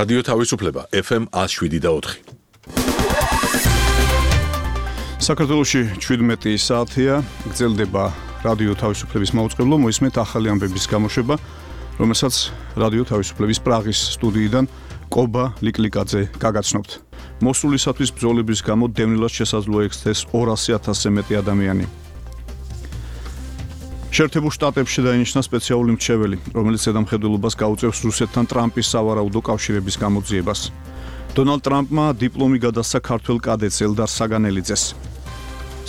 რადიო თავისუფლება FM 107.4. საქართველოში 17 საათია, გრძელდება რადიო თავისუფლების მაუწყებლო, მოისმენთ ახალი ამბების გამოშვება, რომელსაც რადიო თავისუფლების პრაღის სტუდიიდან კობა ლიკლიკაძე გაგაცნობთ. მოსულისათვის ბრძოლების გამო დევნილად შესაძლოა ექცეს 200,000-ზე მეტი ადამიანი. შეერთებულ შტატებში დაინიშნა სპეციალური მრჩეველი, რომელიც ზედამხედველობას გაუწევს რუსეთთან ტრამპის სავარაუდო კავშირების გამოძიებას. დონალდ ტრამპმა დიპლომი გადასცა ქართველ კადეტს ელდარ საგანელიძეს.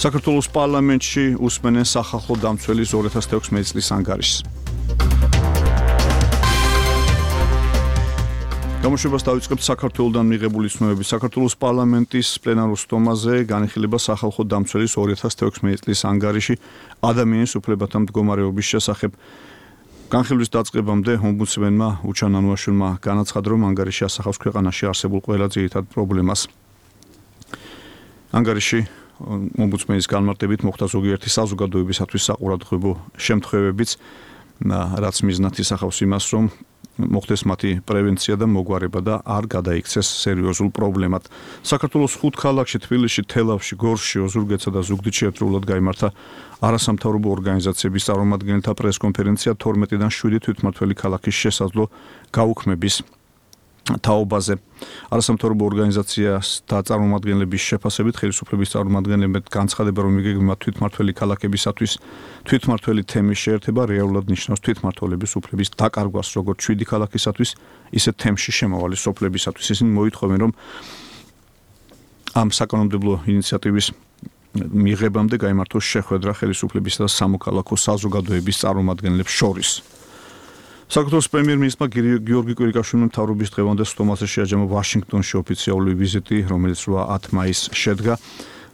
საქართველოს პარლამენტში უსმენენ სახალხო დამცველის 2016 წლის ანგარიშს. გამოშვებას დავიწყებთ საქართველოსთან მიღებული ცნობებით. საქართველოს პარლამენტის პლენარულ სტომაზე განიხილება სახალხო დამცველის 2016 წლის ანგარიში ადამიანის უფლებათა მდგომარეობის შესახებ. განხილვის დაწყებამდე ომბუდსმენმა უჩან ანუაშვილმა განაცხადა, რომ ანგარიში ასახავს ქვეყანაში არსებულ ყველა ძირითად პრობლემას. ანგარიში ომბუდსმენის განმარტებით მოხდა ზოგიერთი საზოგადოებისათვის საყურადღებო შემთხვევებიც, რაც მიზნად ისახავს იმას, რომ მოხდეს მათი პრევენცია და მოგვარება და არ გადაიქცეს სერიოზულ პრობლემად. საქართველოს 5 ქალაქში, თბილისში, თელავში, გორში, ოზურგეთსა და ზუგდიდში ერთდროულად გაიმართა არასამთავრობო ორგანიზაციების წარმომადგენელთა პრესკონფერენცია 12-დან 7 თვითმმართველი ქალაქის შესაძლო გაუქმების თაობაზე. არასამთავრობო ორგანიზაციასთა წარმომადგენლების შეფასებით ხელისუფლების წარმომადგენლებმა განცხადება, რომ იგეგმება თვითმმართველი ქალაქებისათვის თვითმმართველი თემის შეერთება რეალურად ნიშნავს თვითმმართველების უფლების დაკარგვას როგორც 7 ქალაქისათვის, ისე თემში შემავალი სოფლებისათვის. ისინი მოითხოვენ, რომ ამ საკანონმდებლო ინიციატივის მიღებამდე გაიმართოს შეხვედრა ხელისუფლებისა და სამოქალაქო საზოგადოების წარმომადგენლებს შორის. საქართველოს პრემიერ-მინისტრმა გიორგი კვირიკაშვილმა მთავრობის დღევანდელ სტომაზე შეაჯამა ვაშინგტონში ოფიციალური ვიზიტი, რომელიც 8 მაისს შედგა.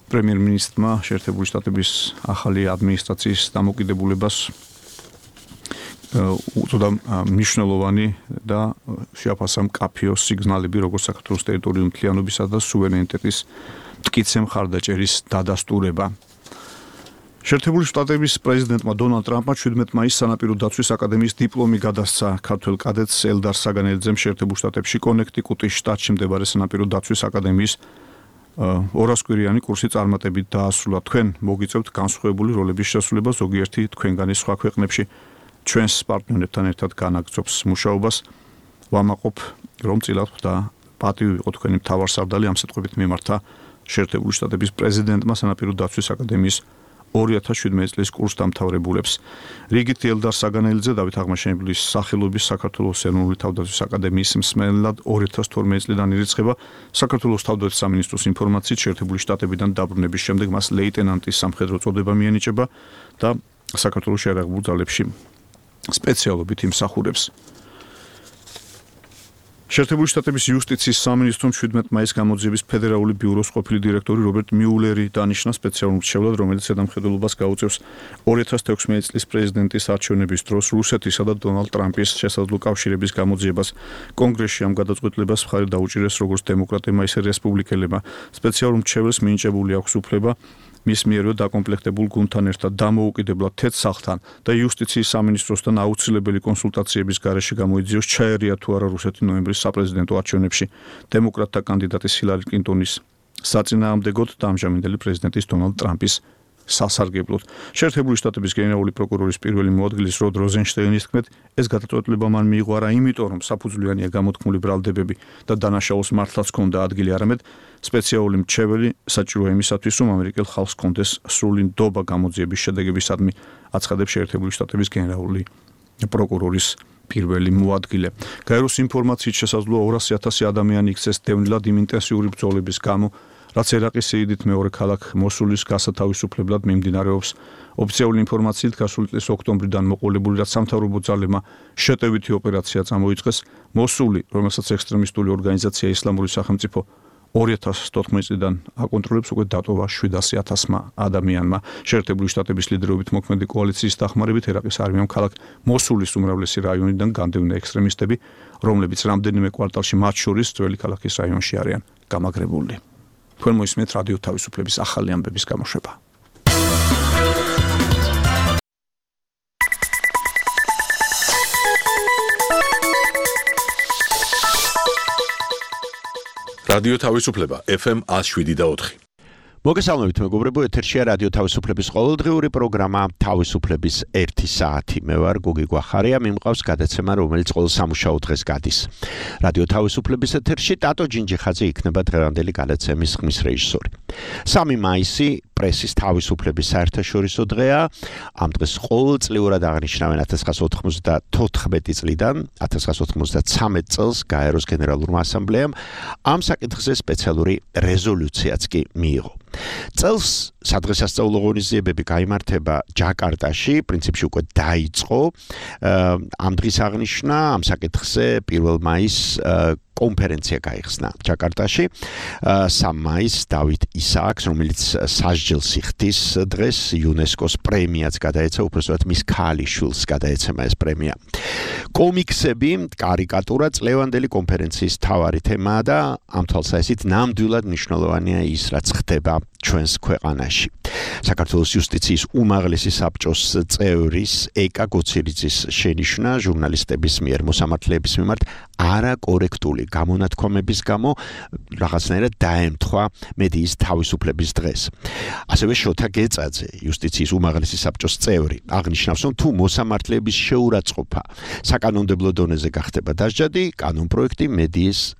პრემიერ-მინისტრმა შეერთებული შტატების ახალი ადმინისტრაციის დამოკიდებულებას უწოდა მნიშვნელოვანი და შეაფასა მკაფიო სიგნალები, როგორც საქართველოს ტერიტორიული მთლიანობისა და სუვერენიტეტის მტკიცე მხარდაჭერის დადასტურება. შეერთებული შტატების პრეზიდენტმა დონალდ ტრამპმა 17 მაისს სანაპირო დაცვის აკადემიის დიპლომი გადასცა ქართველ კადეტს ელდარ საგანელიძემ შეერთებულ შტატებში კონექტიკუტის შტატში მდებარე სანაპირო დაცვის აკადემიის 200 კვირიანი კურსი წარმატებით დაასრულა. თქვენ მოგიწევთ განსხვავებული როლების შესრულება ზოგიერთი თქვენგანი სხვა ქვეყნებში. ჩვენს პარტნიორებთან ერთად განაგრძობს მუშაობას. ვამაყობ, რომ წილად და პატივი იყო თქვენი მთავარსარდალი, ამ სიტყვებით მიმართა შეერთებული შტატების პრეზიდენტმა სანაპირო დაცვის აკადემიის 2017 წლის კურსდამთავრებულებს. რიგით ელდარ საგანელიძე დავით აღმაშენებლის სახელობის საქართველოს ეროვნული თავდაცვის აკადემიის მსმენელად 2012 წლიდან ირიცხება. საქართველოს თავდაცვის სამინისტროს ინფორმაციით შეერთებული შტატებიდან დაბრუნების შემდეგ მას ლეიტენანტის სამხედრო წოდება მიენიჭება და საქართველოს შეიარაღებულ ძალებში სპეციალობით იმსახურებს. შეერთებული შტატების იუსტიციის სამინისტრომ 17 მაისს გამოძიების ფედერალური ბიუროს ყოფილი დირექტორი რობერტ მიულერი დანიშნა სპეციალურ მრჩევლად, რომელიც ზედამხედველობას გაუწევს 2016 წლის პრეზიდენტის არჩევნების დროს რუსეთისა და დონალდ ტრამპის შესაძლო კავშირების გამოძიებას. კონგრესში ამ გადაწყვეტილებას მხარი დაუჭირეს როგორც დემოკრატებმა, ისე რესპუბლიკელებმა. სპეციალურ მრჩეველს მინიჭებული აქვს უფლება მის მიერვე დაკომპლექტებულ გუნდთან ერთად დამოუკიდებლად თეთრ სახლთან და იუსტიციის სამინისტროსთან აუცილებელი კონსულტაციების გარეშე გამოიძიოს ჩაერია თუ არა რუსეთი ნოემბრის საპრეზიდენტო არჩევნებში დემოკრატთა კანდიდატის ჰილარი კლინტონის საწინააღმდეგოდ და ამჟამინდელი პრეზიდენტის დონალდ ტრამპის სასარგებლოდ. შეერთებული შტატების გენერალური პროკურორის პირველი მოადგილის როდ როზენშტეინის თქმით, ეს გადაწყვეტილება მან მიიღო არა იმიტომ, რომ საფუძვლიანია გამოთქმული ბრალდებები და დანაშაულს მართლაც ჰქონდა ადგილი, არამედ სპეციალური მრჩეველი საჭიროა იმისათვის, რომ ამერიკელ ხალხს ჰქონდეს სრული ნდობა გამოძიების შედეგებისადმი, აცხადებს შეერთებული შტატების გენერალური პროკურორის პირველი მოადგილე. გაეროს ინფორმაციით შესაძლოა 200,000 ადამიანი იქცეს დევნილად იმ ინტენსიური ბრძოლების გამო, რაც ერაყის სიიდით მეორე ქალაქ მოსულის გასათავისუფლებლად მიმდინარეობს. ოფიციალური ინფორმაციით გასული წლის ოქტომბრიდან მოყოლებული რაც სამთავრობო ძალებმა შეტევითი ოპერაცია წამოიწყეს, მოსული, რომელსაც ექსტრემისტული ორგანიზაცია ისლამური სახელმწიფო 2014 წლიდან აკონტროლებს, უკვე დატოვა 700,000 ადამიანმა. შეერთებული შტატების ლიდერობით მოქმედი კოალიციის დახმარებით ერაყის არმიამ ქალაქ მოსულის უმრავლესი რაიონიდან განდევნა ექსტრემისტები, რომლებიც რამდენიმე კვარტალში მათ შორის ძველი ქალაქის რაიონში არიან გამაგრებული. თქვენ მოისმენთ რადიო თავისუფლების ახალი ამბების გამოშვება. რადიო თავისუფლება FM 107.4. მოგესალმებით მეგობრებო, ეთერშია რადიო თავისუფლების ყოველდღიური პროგრამა თავისუფლების 1 საათი. მე ვარ გოგი გვახარია, მიმყავს გადაცემა, რომელიც ყოველ სამუშაო დღეს გადის. რადიო თავისუფლების ეთერში ტატო ჯინჯიხაძე იქნება დღევანდელი გადაცემის ხმის რეჟისორი. 3 მაისი პრესის თავისუფლების საერთაშორისო დღეა. ამ დღეს ყოველწლიურად აღნიშნავენ 1994 წლიდან 1993 წელს გაეროს გენერალურმა ასამბლეამ ამ საკითხზე სპეციალური რეზოლუციაც კი მიიღო. წელს სადღესასწაულო ღონისძიებები გაიმართება ჯაკარტაში, პრინციპში უკვე დაიწყო. ამ დღის აღნიშვნა ამ საკითხზე 1 მაისს კონფერენცია გაიხსნა ჯაკარტაში. 3 მაისს დავით ისააკს, რომელიც სასჯელს იხდის დღეს, იუნესკოს პრემიაც გადაეცა, უბრალოდ მის ქალიშვილს გადაეცემა ეს პრემია. კომიქსები, კარიკატურა წლევანდელი კონფერენციის მთავარი თემაა და ამ თვალსაზრისით ნამდვილად მნიშვნელოვანია ის, რაც ხდება ჩვენს ქვეყანაში. საქართველოს იუსტიციის უმაღლესი საბჭოს წევრის ეკა გოცირიძის შენიშვნა ჟურნალისტების მიერ მოსამართლეების მიმართ არაკორექტული გამონათქვამების გამო რაღაცნაირად დაემთხვა მედიის თავისუფლების დღეს. ასევე შოთა გეწაძე, იუსტიციის უმაღლესი საბჭოს წევრი, აღნიშნავს, რომ თუ მოსამართლეების შეურაცხყოფა საკანონმდებლო დონეზე გახდება დასჯადი, კანონპროექტი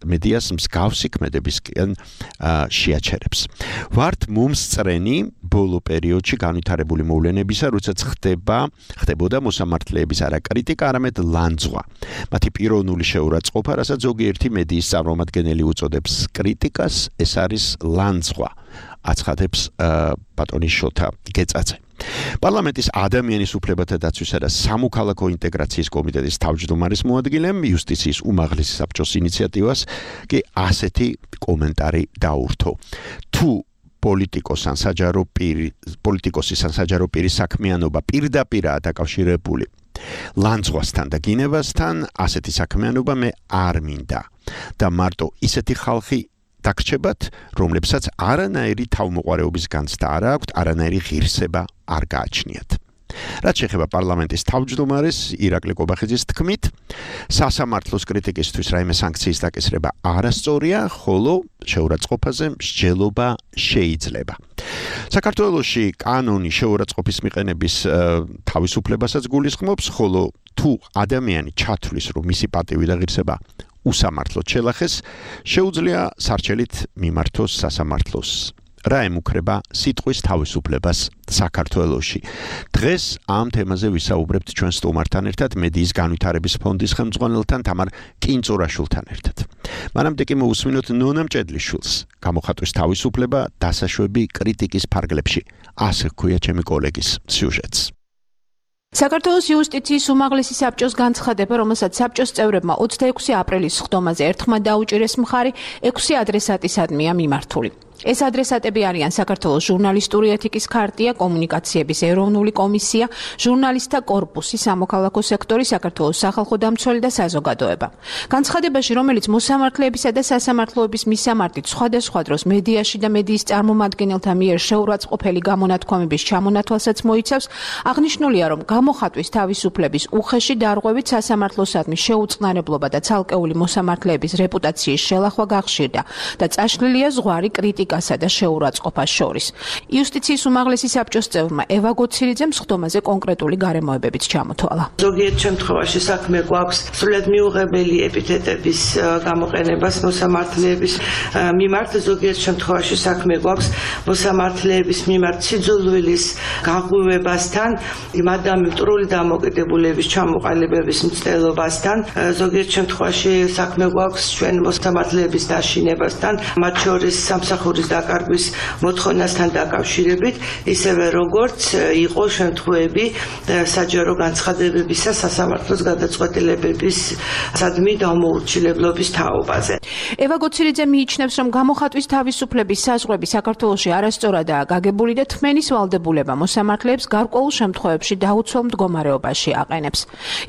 მედიას მსგავსი ქმედებისკენ შეაჩერებს. ვართ მომსწრენი ბოლო პერიოდში განვითარებული მოვლენებისა, როდესაც ხდებოდა მოსამართლეების არა კრიტიკა, არამედ ლანძღვა. მათი პიროვნული შეურაცხყოფა, რასაც ზოგიერთი მედიის წარმომადგენელი უწოდებს კრიტიკას, ეს არის ლანძღვა, აცხადებს ბატონი შოთა გეწაძე. პარლამენტის ადამიანის უფლებათა დაცვისა და სამოქალაქო ინტეგრაციის კომიტეტის თავმჯდომარის მოადგილემ იუსტიციის უმაღლესი საბჭოს ინიციატივას კი ასეთი კომენტარი დაურთო. თუ პოლიტიკოსის ან საჯარო პირის საქმიანობა პირდაპირაა დაკავშირებული ლანძღვასთან და გინებასთან, ასეთი საქმიანობა მე არ მინდა და მარტო ისეთი ხალხი დაგრჩებათ, რომლებსაც არანაირი თავმოყარეობის განცდა არ აქვთ, არანაირი ღირსება არ გააჩნიათ. რაც შეეხება პარლამენტის თავმჯდომარეს ირაკლი კობახიძის თქმით, სასამართლოს კრიტიკისთვის რაიმე სანქციის დაკისრება არასწორია, ხოლო შეურაცხყოფაზე მსჯელობა შეიძლება. საქართველოში კანონი შეურაცხყოფის მიყენების თავისუფლებასაც გულისხმობს, ხოლო თუ ადამიანი ჩათვლის, რომ მისი პატივი და ღირსება უსამართლოდ შელახეს, შეუძლია სარჩელით მიმართოს სასამართლოს. რა ემუქრება სიტყვის თავისუფლებას საქართველოში. დღეს ამ თემაზე ვისაუბრებთ ჩვენ სტუმართან ერთად, მედიის განვითარების ფონდის ხელმძღვანელთან თამარ კინწურაშვილთან ერთად. მანამდე კი მოусმინოთ ნონა მჭედლიშვილს, გამოხატვის თავისუფლება დასაშვები კრიტიკის ფარგლებში. ასე ჰქვია ჩემი კოლეგის სიუჟეტს. საქართველოს იუსტიციის უმაღლესი საბჭოს განცხადება, რომელსაც საბჭოს წევრებმა 26 აპრილის სხდომაზე ერთხმად დაუჭირეს მხარი, 6 ადრესატისადმია მიმართული. ეს ადრესატები არიან საქართველოს ჟურნალისტური ეთიკის ქარტია, კომუნიკაციების ეროვნული კომისია, ჟურნალისტთა კორპუსი, სამოქალაქო სექტორი, საქართველოს სახალხო დამცველი და საზოგადოება. განცხადებაში, რომელიც მოსამართლეებისა და სასამართლოების მისამართით სხვადასხვა დროს მედიაში და მედიის წარმომადგენელთა მიერ შეურაცხყოფელი გამონათქვამების ჩამონათვალსაც მოიცავს, აღნიშნულია, რომ გამოხატვის თავისუფლების უხეში დარღვევით სასამართლოსადმი შეუწყნარებლობა და ცალკეული მოსამართლეების რეპუტაციის შელახვა გახშირდა და წაშლილია ზღვარი კრიტიკასა და შეურაცხყოფას შორის. იუსტიციის უმაღლესი საბჭოს წევრმა ევა გოცირიძემ სხდომაზე კონკრეტული გარემოებებით ჩამოთვალა. ზოგიერთ შემთხვევაში საქმე გვაქვს სრულად მიუღებელი ეპითეტების გამოყენებას მოსამართლეების მიმართ, ზოგიერთ შემთხვევაში საქმე გვაქვს მოსამართლეების მიმართ სიძულვილის გაღვივებასთან, იმ მტრული დამოკიდებულების ჩამოყალიბების მცდელობასთან, ზოგიერთ შემთხვევაში საქმე გვაქვს ჩვენ მოსამართლეების დაშინებასთან, მათ შორის სამსახურის დაკარგვის მოთხოვნასთან დაკავშირებით, ისევე როგორც იყო შემთხვევები საჯარო განცხადებებისა სასამართლოს გადაწყვეტილებების სადმი დაუმორჩილებლობის თაობაზე. ევა გოცირიძე მიიჩნევს, რომ გამოხატვის თავისუფლების საზღვრები საქართველოში არასწორადაა გაგებული და თმენის ვალდებულება მოსამართლეებს გარკვეულ შემთხვევებში დაუცველ მდგომარეობაში აყენებს.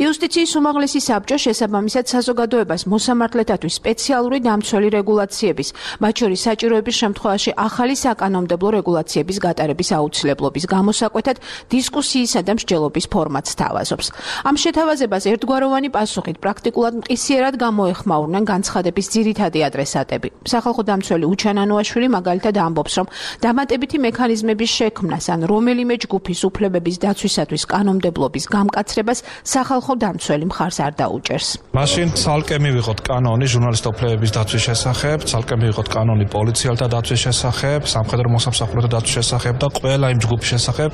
იუსტიციის უმაღლესი საბჭო შესაბამისად საზოგადოებას მოსამართლეთათვის სპეციალური დამცველი რეგულაციების, მათ შორის საჭიროების შემთხვევაში ახალი საკანონმდებლო რეგულაციების გატარების აუცილებლობის გამოსაკვეთად დისკუსიისა და მსჯელობის ფორმატს თავაზობს. ამ შეთავაზებას ერთგვაროვანი პასუხით პრაქტიკულად მყისიერად გამოეხმაურნენ განცხადების ძირითადი ადრესატები. სახალხო დამცველი უჩანანოაშვილი მაგალითად ამბობს, რომ დამატებითი მექანიზმების შექმნას ან რომელიმე ჯგუფის უფლებების დაცვისათვის კანონმდებლობის გამკაცრებას სახალხო დამცველი მხარს არ დაუჭერს. მაშინ ცალკე მივიღოთ კანონი ჟურნალისტთა უფლებების დაცვის შესახებ, ცალკე მივიღოთ კანონი პოლიციელთა დაცვის შესახებ, სამხედრო მოსამსახურეთა დაცვის შესახებ და ყველა იმ ჯგუფის შესახებ,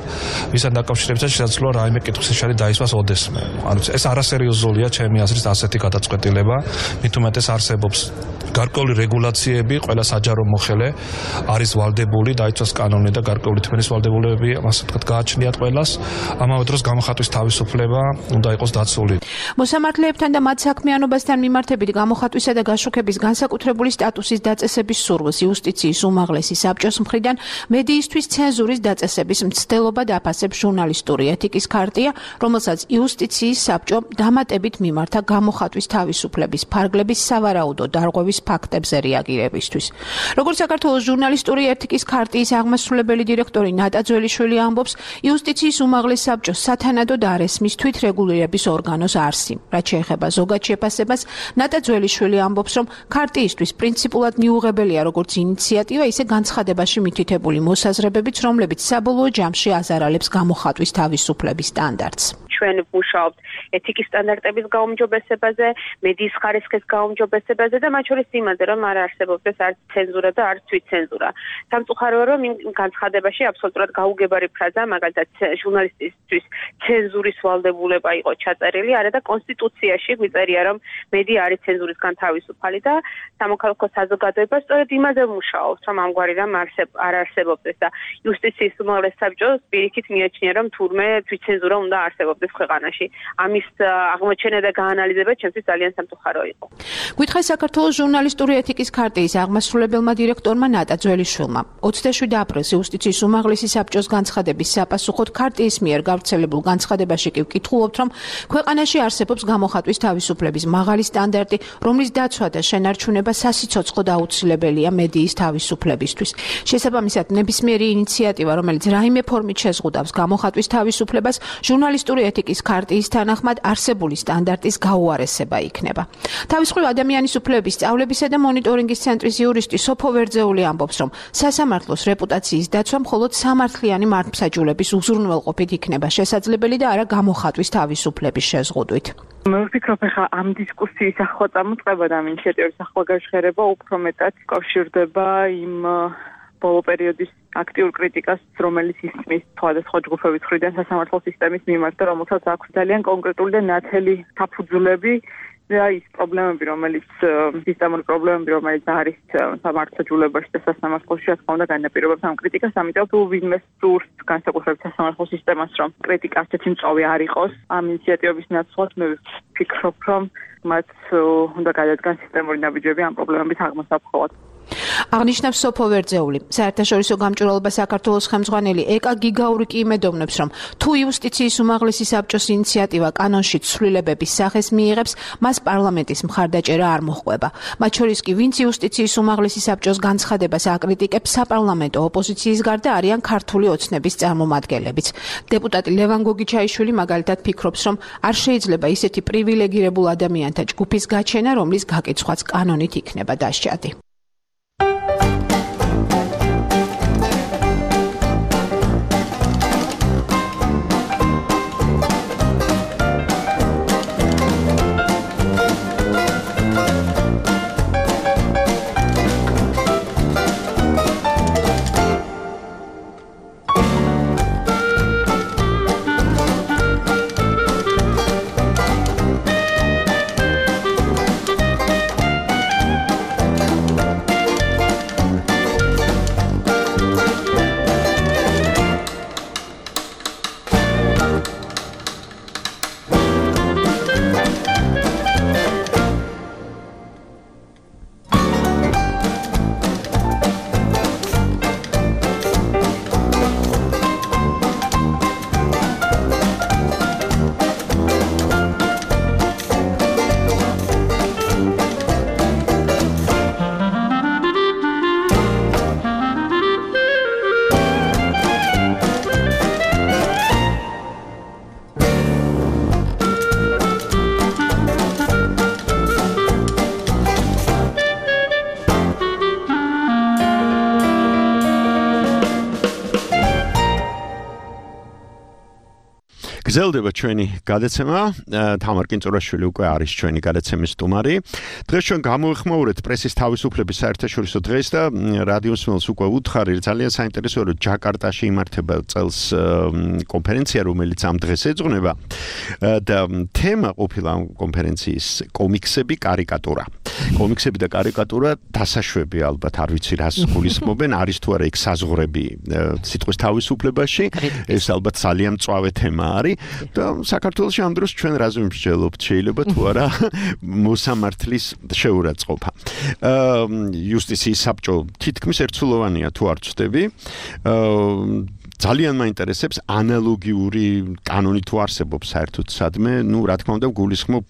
ვისთან დაკავშირებითაც შესაძლოა რაიმე კითხვის შეშალი დაისვას ოდესმე. ანუ ეს არასერიოზულია ჩემი აზრით ასეთი გადაწყვეტილება, მით უმეტეს არსებობს გარკვეული რეგულაციები, ყველა საჯარო მოხელე არის ვალდებული დაიცვას კანონი და გარკვეული თმენის ვალდებულებები, ასე ვთქვათ, გააჩნიათ ყველას. ამავე დროს გამოხატვის თავისუფლება უნდა იყოს დაცული. მოსამართლეებთან და მათ საქმიანობასთან მიმართებით გამოხატვისა და გაშუქების განსაკუთრებული სტატუსის დაწესების სურვილს იუსტიციის უმაღლესი საბჭოს მხრიდან მედიისთვის ცენზურის დაწესების მცდელობა დაფასებს ჟურნალისტური ეთიკის ქარტია, რომელსაც იუსტიციის საბჭო დამატებით მიმართა გამოხატვის თავისუფლების ფარგლების სავარაუდო დარღვევის ფაქტებზე რეაგირებისთვის. როგორც საქართველოს ჟურნალისტური ეთიკის ქარტიის აღმასრულებელი დირექტორი ნატა ძველიშვილი ამბობს, იუსტიციის უმაღლეს საბჭოს სათანადოდ არ ესმის თვითრეგულირების ორგანოს არსი. რაც შეეხება ზოგად შეფასებას, ნატა ძველიშვილი ამბობს, რომ ქარტიისთვის პრინციპულად მიუღებელია როგორც ინიციატივა, ისე განცხადებაში მითითებული მოსაზრებებიც, რომლებიც საბოლოო ჯამში აზარალებს გამოხატვის თავისუფლების სტანდარტს. ჩვენ ვმუშაობთ ეთიკის სტანდარტების გაუმჯობესებაზე, მედიის ხარისხის გაუმჯობესებაზე და მათ შორის იმაზე, რომ არ არსებობდეს არც ცენზურა და არც თვითცენზურა. სამწუხაროა, რომ იმ განცხადებაში აბსოლუტურად გაუგებარი ფრაზა, მაგალითად ჟურნალისტისთვის ცენზურის ვალდებულება იყო ჩაწერილი, არა და კონსტიტუციაში გვიწერია, რომ მედია არის ცენზურისგან თავისუფალი და სამოქალაქო საზოგადოება სწორედ იმაზე ვმუშაობთ, რომ ამგვარი რამ არ არსებობდეს და იუსტიციის უმაღლეს საბჭოს პირიქით მიაჩნია, რომ თურმე თვითცენზურა უნდა არსებობდეს ქვეყანაში. ამის აღმოჩენა და გაანალიზება ჩემთვის ძალიან სამწუხარო იყო. გვითხრეს საქართველოს ჟურნალისტური ეთიკის ქარტიის აღმასრულებელმა დირექტორმა ნატა ძველიშვილმა. 27 აპრილს იუსტიციის უმაღლესი საბჭოს განცხადების საპასუხოდ ქარტიის მიერ გავრცელებულ განცხადებაში კი ვკითხულობთ, რომ ქვეყანაში არსებობს გამოხატვის თავისუფლების მაღალი სტანდარტი, რომლის დაცვა და შენარჩუნება სასიცოცხლოდ აუცილებელია მედიის თავისუფლებისთვის. შესაბამისად, ნებისმიერი ინიციატივა, რომელიც რაიმე ფორმით შეზღუდავს გამოხატვის თავისუფლებას, ჟურნალისტური ეთიკის ქარტიის თანახმად არსებული სტანდარტის გაუარესება იქნება. თავის მხრივ ადამიანის უფლებების სწავლებისა და მონიტორინგის ცენტრის იურისტი სოფო ვერძეული ამბობს, რომ სასამართლოს რეპუტაციის დაცვა მხოლოდ სამართლიანი მართლმსაჯულების უზრუნველყოფით იქნება შესაძლებელი და არა გამოხატვის თავისუფლების შეზღუდვით. მე ვფიქრობ, ხა ამ დისკუსიის ახლა წამოწყება და ამ ინიციატივის ახლა გაჟღერება უფრო მეტად კავშირდება იმ ბოლო პერიოდის აქტიურ კრიტიკას, რომელიც ისმის სხვადასხვა ჯგუფების მხრიდან სასამართლო სისტემის მიმართ და რომელსაც აქვს ძალიან კონკრეტული და ნათელი საფუძვლები და ის პრობლემები, რომელიც სისტემური პრობლემები, რომელიც არის სამართლმსაჯულებაში და სასამართლოში, რა თქმა უნდა, განაპირობებს ამ კრიტიკას, ამიტომ თუ ვინმე სურს განსაკუთრებით სასამართლო სისტემას, რომ კრიტიკა ასეთი მწვავე არ იყოს, ამ ინიციატივების ნაცვლად მე ვფიქრობ, რომ მათ უნდა გადადგან სისტემური ნაბიჯები ამ პრობლემების აღმოსახვად. აღნიშნავს სოფო ვერძეული. საერთაშორისო გამჭვირვალობა საქართველოს ხელმძღვანელი ეკა გიგაური კი იმედოვნებს, რომ თუ იუსტიციის უმაღლესი საბჭოს ინიციატივა კანონში ცვლილებების სახეს მიიღებს, მას პარლამენტის მხარდაჭერა არ მოჰყვება. მათ შორის კი ვინც იუსტიციის უმაღლესი საბჭოს განცხადებას აკრიტიკებს, საპარლამენტო ოპოზიციის გარდა არიან ქართული ოცნების წარმომადგენლებიც. დეპუტატი ლევან გოგიჩაიშვილი მაგალითად ფიქრობს, რომ არ შეიძლება ისეთი პრივილეგირებულ ადამიანთა ჯგუფის გაჩენა, რომლის გაკიცხვაც კანონით იქნება დასჭადი. გრძელდება ჩვენი გადაცემა. თამარ კინწურაშვილი უკვე არის ჩვენი გადაცემის სტუმარი. დღეს ჩვენ გამოეხმაურეთ პრესის თავისუფლების საერთაშორისო დღეს და რადიოს მსმენელს უკვე უთხარი, ძალიან საინტერესოა, რომ ჯაკარტაში იმართება წელს კონფერენცია, რომელიც ამ დღეს ეძღვნება და თემა ყოფილა ამ კონფერენციის კომიქსები, კარიკატურა. კომიქსები და კარიკატურა დასაშვები ალბათ არ ვიცი რას გულისხმობენ, არის თუ არა იქ საზღვრები სიტყვის თავისუფლებაში, ეს ალბათ ძალიან მწვავე თემა არის და საქართველოში ამ დროს ჩვენ რაზე ვიმსჯელობთ, შეიძლება თუ არა მოსამართლის შეურაცხყოფა. იუსტიციის საბჭო თითქმის ერთსულოვანია თუ არ ვცდები. ძალიან მაინტერესებს ანალოგიური კანონი თუ არსებობს საერთოდ სადმე, რა თქმა უნდა გულისხმობ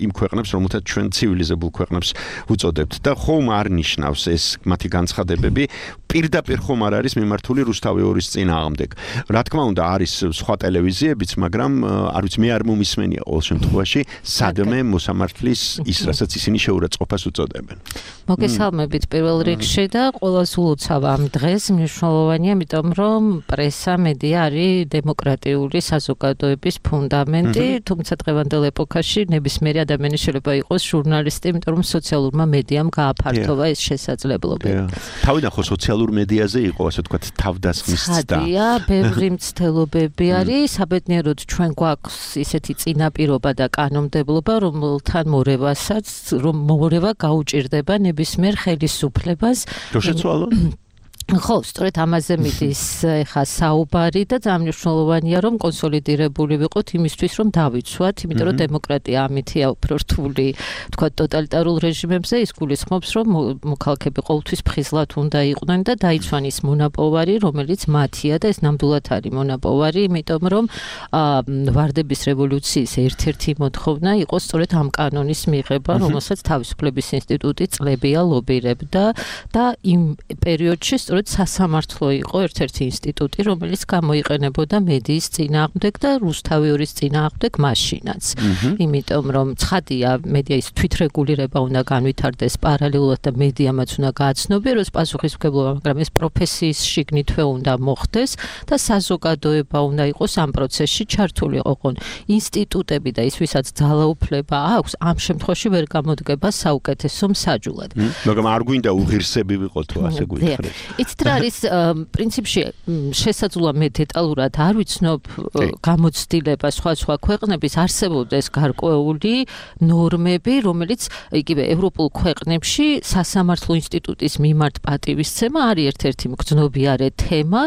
იმ ქვეყნებს, რომელთაც ჩვენ ცივილიზებულ ქვეყნებს ვუწოდებთ და ხომ არ ნიშნავს ეს მათი განცხადებები პირდაპირ ხომ არ არის მიმართული რუსთავი 2-ის წინააღმდეგ. რა თქმა უნდა არის სხვა ტელევიზიებიც, მაგრამ არ ვიცი მე არ მომისმენია ყოველ შემთხვევაში სადმე მოსამართლის ის რასაც ისინი შეურაცხყოფას უწოდებენ. მოგესალმებით პირველ რიგში და ყოველს ულოცავ ამ დღეს მნიშვნელოვანია, იმიტომ რომ პრესა, მედია არის დემოკრატიული საზოგადოების ფუნდამენტი, თუმცა დღევანდელ ეპოქაში ნებისმიერი ადამიანი შეიძლება იყოს ჟურნალისტი, იმიტომ რომ სოციალურმა მედიამ გააფართოვა ეს შესაძლებლობები. თავიდან ხო სოციალურ მედიაზე იყო, ასე ვთქვათ, თავდასხმის ცდა. ხადია, ბევრი მცდელობები არის, საბედნიეროდ ჩვენ გვაქვს ისეთი წინაპირობა და კანონმდებლობა, რომელთან მორევა გაუჭირდება ნებისმიერ ხელისუფლებას. როშეცვალო? ხო, სწორედ ამაზე მიდის ხა საუბარი და ძალიან მნიშვნელოვანია რომ კონსოლიდირებული ვიყოთ იმისთვის რომ დავიცვათ, იმიტომ რომ დემოკრატია ამითია უფრო რთული, თქვა ტოტალიტარულ რეჟიმებზე ის გულისხმობს რომ მოქალაქეები ყოველთვის ფხიზლად უნდა იყვნენ და დაიცვან ის მონაპოვარი, რომელიც მათია და ეს ნამდვილად არის მონაპოვარი, იმიტომ რომ ვარდების რევოლუციის ერთ-ერთი მოთხოვნა იყო სწორედ ამ კანონის მიღება, რომელსაც თავისუფლების ინსტიტუტი წლებია ლობირებდა და იმ პერიოდში სწორედ სასამართლო იყო ერთ-ერთი ინსტიტუტი, რომელიც გამოიყენებოდა მედიის წინააღმდეგ და რუსთავი 2-ის წინააღმდეგ მაშინაც. იმიტომ რომ ცხადია, მედიის თვითრეგულირება უნდა განვითარდეს პარალელურად და მედიამაც უნდა გააცნობიეროს პასუხისმგებლობა, მაგრამ ეს პროფესიის შიგნითვე უნდა მოხდეს და საზოგადოება უნდა იყოს ამ პროცესში ჩართული. ოღონ ინსტიტუტები და ის ვისაც ძალაუფლება აქვს, ამ შემთხვევაში ვერ გამოდგება საუკეთესო მსაჯულად. მაგრამ არ გვინდა უღირსები ვიყოთ თუ ასე გვითხრით. იცით რა არის პრინციპში შესაძლოა მე დეტალურად არ ვიცნობ გამოცდილება სხვა ქვეყნების არსებობდეს გარკვეული ნორმები, რომელიც იგივე ევროპულ ქვეყნებში სასამართლო ინსტიტუტის მიმართ პატივისცემა არის ერთ-ერთი მგრძნობიარე თემა,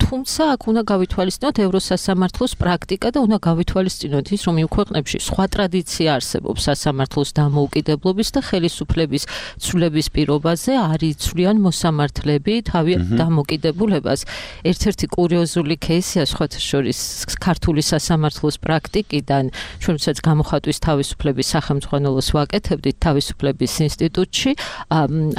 თუმცა აქ უნდა გავითვალისწინოთ ევროსასამართლოს პრაქტიკა და უნდა გავითვალისწინოთ ის, რომ იმ ქვეყნებში სხვა ტრადიცია არსებობს სასამართლოს დამოუკიდებლობის და ხელისუფლების ცვლილების პირობაზე არ იცვლიან მოსამართლები თავი დამოკიდებულებას. ერთ-ერთი კურიოზული кейსია სხვათა შორის ქართული სასამართლოს პრაქტიკიდან, ჩვენც გამოხატვის თავისუფლების სახელმძღვანელოს ვაკეთებდით თავისუფლების ინსტიტუტში,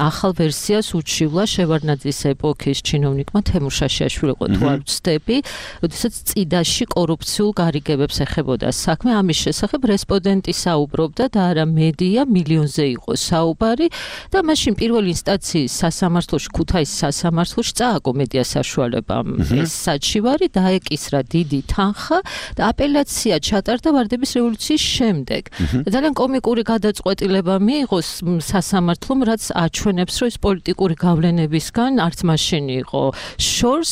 ახალ ვერსიას უშივლა შევარდნაძის ეპოქის ჩინოვნიკმა თემურ შაშიაშვილი იყო თუ არ ვცდები, როდესაც წიდაში კორუფციულ გარიგებებს ეხებოდა საქმე, ამის შესახებ რესპონდენტი საუბრობდა და არა მედია, მილიონზე იყო საუბარი და მაშინ პირველ ინსტანციის სასამართლოში ქუთაისის სასამართლოში წააგო მედია საშუალებამ ეს საჩივარი დაეკისრა დიდი თანხა და აპელაცია ჩატარდა ვარდების რევოლუციის შემდეგ. ძალიან კომიკური გადაწყვეტილება მიიღო სასამართლომ, რაც აჩვენებს, რომ ეს პოლიტიკური გავლენებისგან არც მაშინ იყო შორს,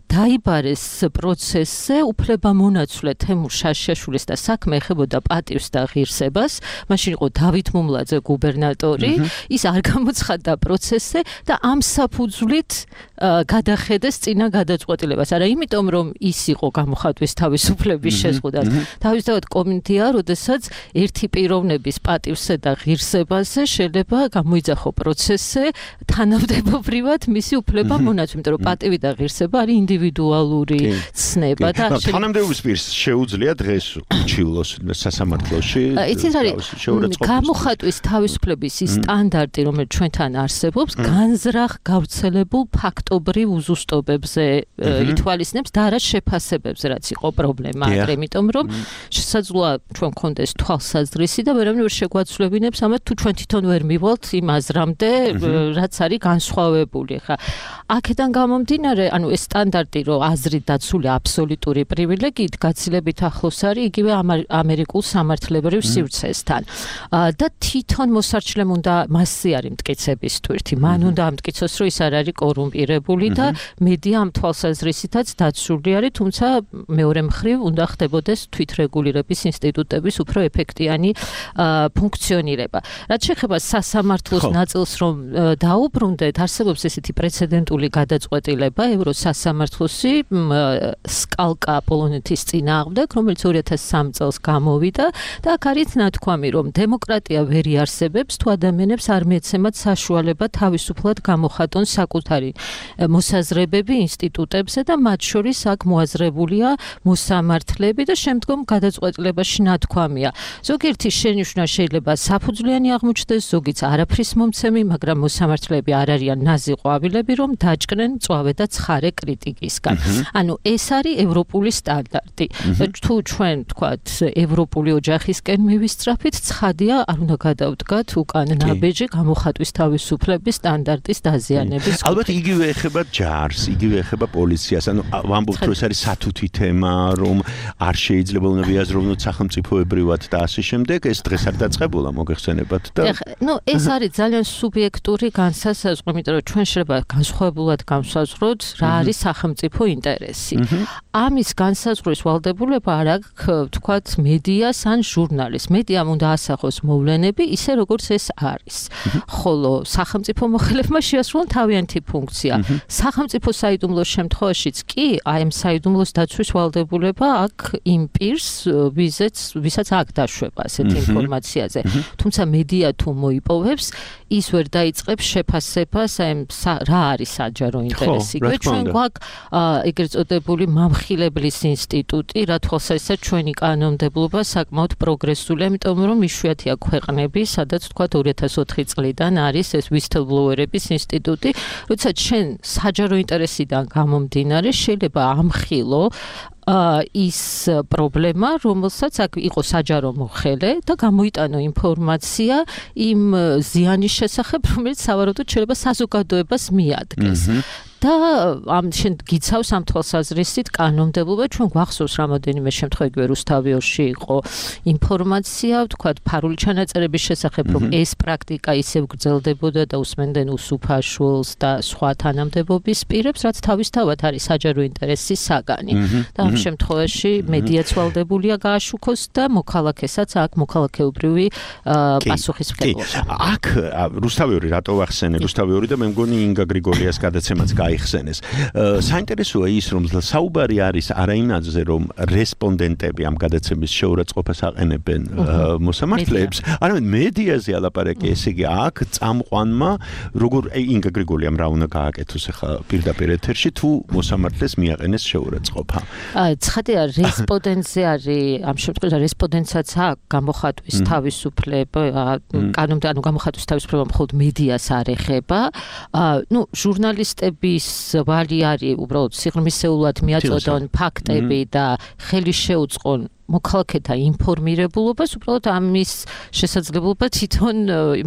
დაიბარეს პროცესზე უფლებამონაცვლე თემურ შაშიაშვილის და საქმე ეხებოდა პატივს და ღირსებას. მაშინ იყო დავით მუმლაძე გუბერნატორი, ის არ გამოცხადდა პროცესზე და ამ საფუძვლით გადახედეს წინა გადაწყვეტილებას. არა იმიტომ, რომ ის იყო გამოხატვის თავისუფლების შეზღუდვა. თავისთავად კომენტია, როდესაც ერთი პიროვნების პატივსა და ღირსებაზე შეიძლება გამოიძახო პროცესზე თანამდებობრივად მისი უფლება მონაცვლე, იმიტომ რომ პატივი და ღირსება არის ინდივიდუალური ცნება და თანამდებობის პირს შეუძლია დღეს უჩივლოს სასამართლოში. იცით რა არის გამოხატვის თავისუფლების ის სტანდარტი, რომელიც ჩვენთან არსებობს, განზრახ გავრცელებული გავრცელებულ ფაქტობრივ უზუსტობებზე ითვალისწინებს და არა შეფასებებზე, რაც იყო პრობლემა ადრე, იმიტომ რომ შესაძლოა ჩვენ გქონდეს თვალსაზრისი და ვერავინ ვერ შეგვაცვლებინებს ამათ თუ ჩვენ თვითონ ვერ მივალთ იმ აზრამდე, რაც არის განსხვავებული. ხა აქედან გამომდინარე, ანუ ეს სტანდარტი, რომ აზრი დაცული აბსოლუტური პრივილეგიით გაცილებით ახლოს არის იგივე ამერიკულ სამართლებრივ სივრცესთან. და თვითონ მოსარჩლემ უნდა მასზე არის მტკიცების თვირთი. მან უნდა ამტკიცოს, რომ ის არ არის კორუმპირებული და მედია ამ თვალსაზრისითაც დაცული არის, თუმცა მეორე მხრივ უნდა ხდებოდეს თვითრეგულირების ინსტიტუტების უფრო ეფექტიანი ფუნქციონირება. რაც შეეხება სასამართლოს ნაწილს, რომ დაუბრუნდეთ, არსებობს ესეთი პრეცედენტული გადაწყვეტილება ევროსასამართლოსი სკალკა პოლონეთის წინააღმდეგ, რომელიც 2003 წელს გამოვიდა და აქ არის ნათქვამი, რომ დემოკრატია ვერ იარსებებს თუ ადამიანებს არ მიეცემათ საშუალება თავისუფლად გამოხატონ საკუთარი მოსაზრებები ინსტიტუტებზე და მათ შორის აქ მოაზრებულია მოსამართლეები და შემდგომ გადაწყვეტილებაში ნათქვამია. ზოგიერთი შენიშვნა შეიძლება საფუძვლიანი აღმოჩნდეს, ზოგიც არაფრის მომცემი, მაგრამ მოსამართლეები არ არიან ნაზი ყვავილები, რომ დაჭკნენ მწვავე და ცხარე კრიტიკისგან. ანუ ეს არის ევროპული სტანდარტი. თუ ჩვენ თქვათ ევროპული ოჯახისკენ მივისწრაფით, ცხადია, არ უნდა გადავდგათ უკან ნაბეჯი გამოხატვის თავისუფლების სტანდარტის დაზიანების. ალბათ იგივე ეხება ჯარს, იგივე ეხება პოლიციას. ანუ ვამბობთ, რომ ეს არის სათუთი თემა, რომ არ შეიძლება უნდა ვიაზროვნოთ სახელმწიფოებრივად და ასე შემდეგ, ეს დღეს არ დაწყებულა მოგეხსენებათ და ეს არის ძალიან სუბიექტური განსაზღვრება, იმიტომ რომ ჩვენ შეიძლება განსხვავებულად განსაზღვროთ, რა არის სახელმწიფო ინტერესი. ამის განსაზღვრის ვალდებულება არ აქვს, თქვათ, მედიას ან ჟურნალისტს. მედიამ უნდა ასახოს მოვლენები ისე, როგორც ეს არის. ხოლო სახელმწიფო მოხელებმა შეასრულონ თავიანთი ფუნქცია. სახელმწიფო საიდუმლოს შემთხვევაშიც კი, აი ამ საიდუმლოს დაცვის ვალდებულება აქვს იმ პირს, ვისაც აქ დაშვება ასეთ ინფორმაციაზე. თუმცა მედია თუ მოიპოვებს, ის ვერ დაიწყებს შეფასებას, რა არის საჯარო ინტერესი. ჩვენ გვაქვს ეგრეთ წოდებული მამხილებლის ინსტიტუტი, რა თვალსაზრისით ჩვენი კანონმდებლობა საკმაოდ პროგრესულია, იმიტომ რომ იშვიათია ქვეყნები, სადაც თქვათ 2004 წლიდან არის ეს whistleblower-ების ინსტიტუტი, როცა ჩვენ საჯარო ინტერესიდან გამომდინარე შეიძლება ამხილო ის პრობლემა, რომელსაც აქ იყო საჯარო მოხელე და გამოიტანო ინფორმაცია იმ ზიანის შესახებ, რომელიც სავარაუდოდ შეიძლება საზოგადოებას მიადგეს. და ამ შენ გიცავს ამ თვალსაზრისით კანონმდებლობა, ჩვენ გვახსოვს რამოდენიმე შემთხვევაში რუსთავიოში იყო ინფორმაცია, თქვათ, ფარული ჩანაწერების შესახებ, რომ ეს პრაქტიკა ისევ გრძელდებოდა და უსმენდნენ უსუფაშულს და სხვა თანამდებობის პირებს, რაც თავისთავად არის საჯარო ინტერესის საგანი. და ამ შემთხვევაში მედიაც ვალდებულია გააშუქოს და მოქალაქესაც აქ მოქალაქეობრივი პასუხისმგებლობა. აქ რუსთავიური რატო ვახსენე? რუსთავიური და მე მგონი ინგა გრიგოლიას გადაცემაც გაიხსენეს. საინტერესოა ის, რომ საუბარი არის არა იმაზე, რომ რესპონდენტები ამ გადაცემის შეურაცხყოფას აყენებენ მოსამართლეებს, არამედ მედიაზე ალაპარაკი, ესე იგი აქ წამყვანმა, როგორ ინგა გრიგოლიამ რა უნდა გააკეთოს ახლა პირდაპირ ეთერში, თუ მოსამართლეს მიაყენეს შეურაცხყოფა. ცხადია, რესპონდენტზე არის, ამ შემთხვევაში რესპონდენტსაც აქვს გამოხატვის თავისუფლება, ანუ გამოხატვის თავისუფლება მხოლოდ მედიას არ ეხება. ჟურნალისტების ვალი არის უბრალოდ სიღრმისეულად მიაწოდონ ფაქტები და ხელი შეუწყონ მოქალაქეთა ინფორმირებულობას, უბრალოდ ამის შესაძლებლობა თვითონ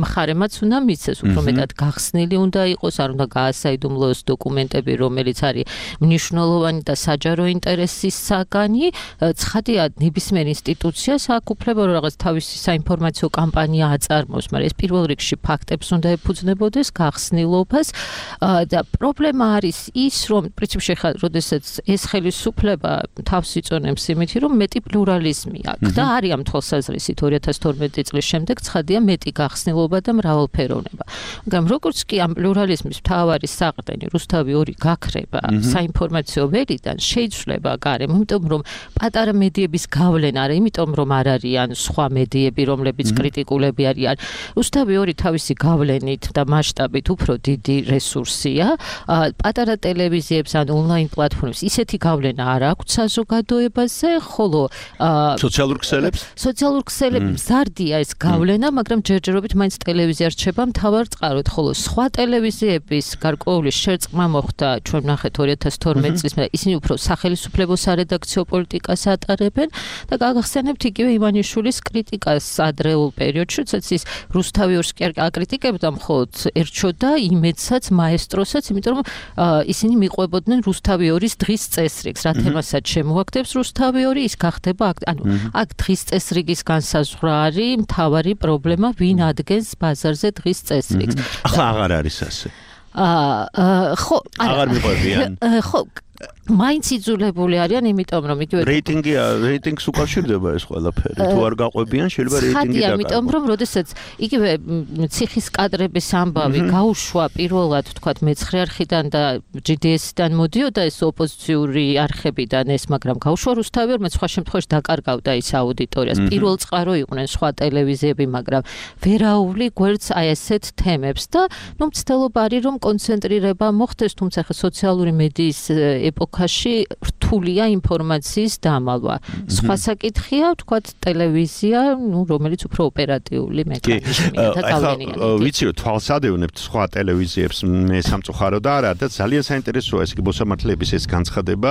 მხარემაც უნდა მიცეს, უფრო მეტად გახსნილი უნდა იყოს, არ უნდა გაასაიდუმლოს დოკუმენტები, რომელიც არის მნიშვნელოვანი და საჯარო ინტერესის საგანი. ცხადია, ნებისმიერ ინსტიტუციას აქვს უფლება, რომ რაღაც თავისი საინფორმაციო კამპანია აწარმოოს, მაგრამ ეს პირველ რიგში ფაქტებს უნდა ეფუძნებოდეს, გახსნილობას და პრობლემა არის ის, რომ პრინციპში ხა, როდესაც ეს ხელისუფლება თავს იწონებს იმით, რომ მეტი პლურალიზმი აქვს და არის ამ თვალსაზრისით 2012 წლის შემდეგ ცხადია მეტი გახსნილობა და მრავალფეროვნება. მაგრამ როგორც კი ამ პლურალიზმის მთავარი საყრდენი რუსთავი 2 გაქრება საინფორმაციო ველიდან შეიცვლება გარემო, იმიტომ რომ პატარა მედიების გავლენა არა, იმიტომ რომ არ არიან სხვა მედიები, რომლებიც კრიტიკულები არიან. რუსთავი 2 თავისი გავლენით და მასშტაბით უფრო დიდი რესურსია. პატარა ტელევიზიებს ან ონლაინ პლატფორმებს ისეთი გავლენა არ აქვს საზოგადოებაზე, ხოლო სოციალურ ქსელებს? სოციალურ ქსელებს მზარდია ეს გავლენა, მაგრამ ჯერჯერობით მაინც ტელევიზია რჩება მთავარ წყაროდ, ხოლო სხვა ტელევიზიების გარკვეული შერწყმა მოხდა, ჩვენ ვნახეთ 2012 წლის, ისინი უფრო სახელმწიფო სარედაქციო პოლიტიკას ატარებენ და გაგახსენებთ იგივე ივანიშვილის კრიტიკას ადრეულ პერიოდში, როდესაც ის რუსთავიორს კი არ აკრიტიკებდა, მხოლოდ ერჩოდა იმედსაც, მაესტროსაც, იმიტომ რომ ისინი მიყვებოდნენ რუსთავიორის დღის წესრიგს, რა თემასაც შემოაგდებს რუსთავიორი, ის გახდება აქ დღის წესრიგის განსაზღვრა არის მთავარი პრობლემა, ვინ ადგენს ბაზარზე დღის წესრიგს. ახლა აღარ არის ასე. ხო, აღარ მიყვებიან. ხო, მაინც იძულებული არიან, იმიტომ რომ იგივე რეიტინგს უკავშირდება ეს ყველაფერი. თუ არ გაყვებიან, შეიძლება რეიტინგი დაკარგოს. იმიტომ რომ როდესაც იგივე ციხის კადრების ამბავი გაუშვა პირველად, თქვათ, მეცხრე არხიდან და GDS-დან მოდიოდა ეს ოპოზიციური არხებიდან ეს, მაგრამ გაუშვა რუსთავიორმა, სხვა შემთხვევაში დაკარგავდა ის აუდიტორიას. პირველ წყარო იყვნენ სხვა ტელევიზიები, მაგრამ ვერაული გვერდს აი ესეთ თემებს და მცდელობა არის რომ კონცენტრირება მოხდეს, თუმცა ხა სოციალური მედიის ეპოქაში რთულია ინფორმაციის დამალვა. სხვა საკითხია, თქვათ, ტელევიზია, რომელიც უფრო ოპერატიული მექანიზმია და გავლენიანი. ვიცი რომ თვალს ადევნებთ სხვა ტელევიზიებს, მე სამწუხაროდ არა და ძალიან საინტერესოა ეს მოსამართლეების ეს განცხადება.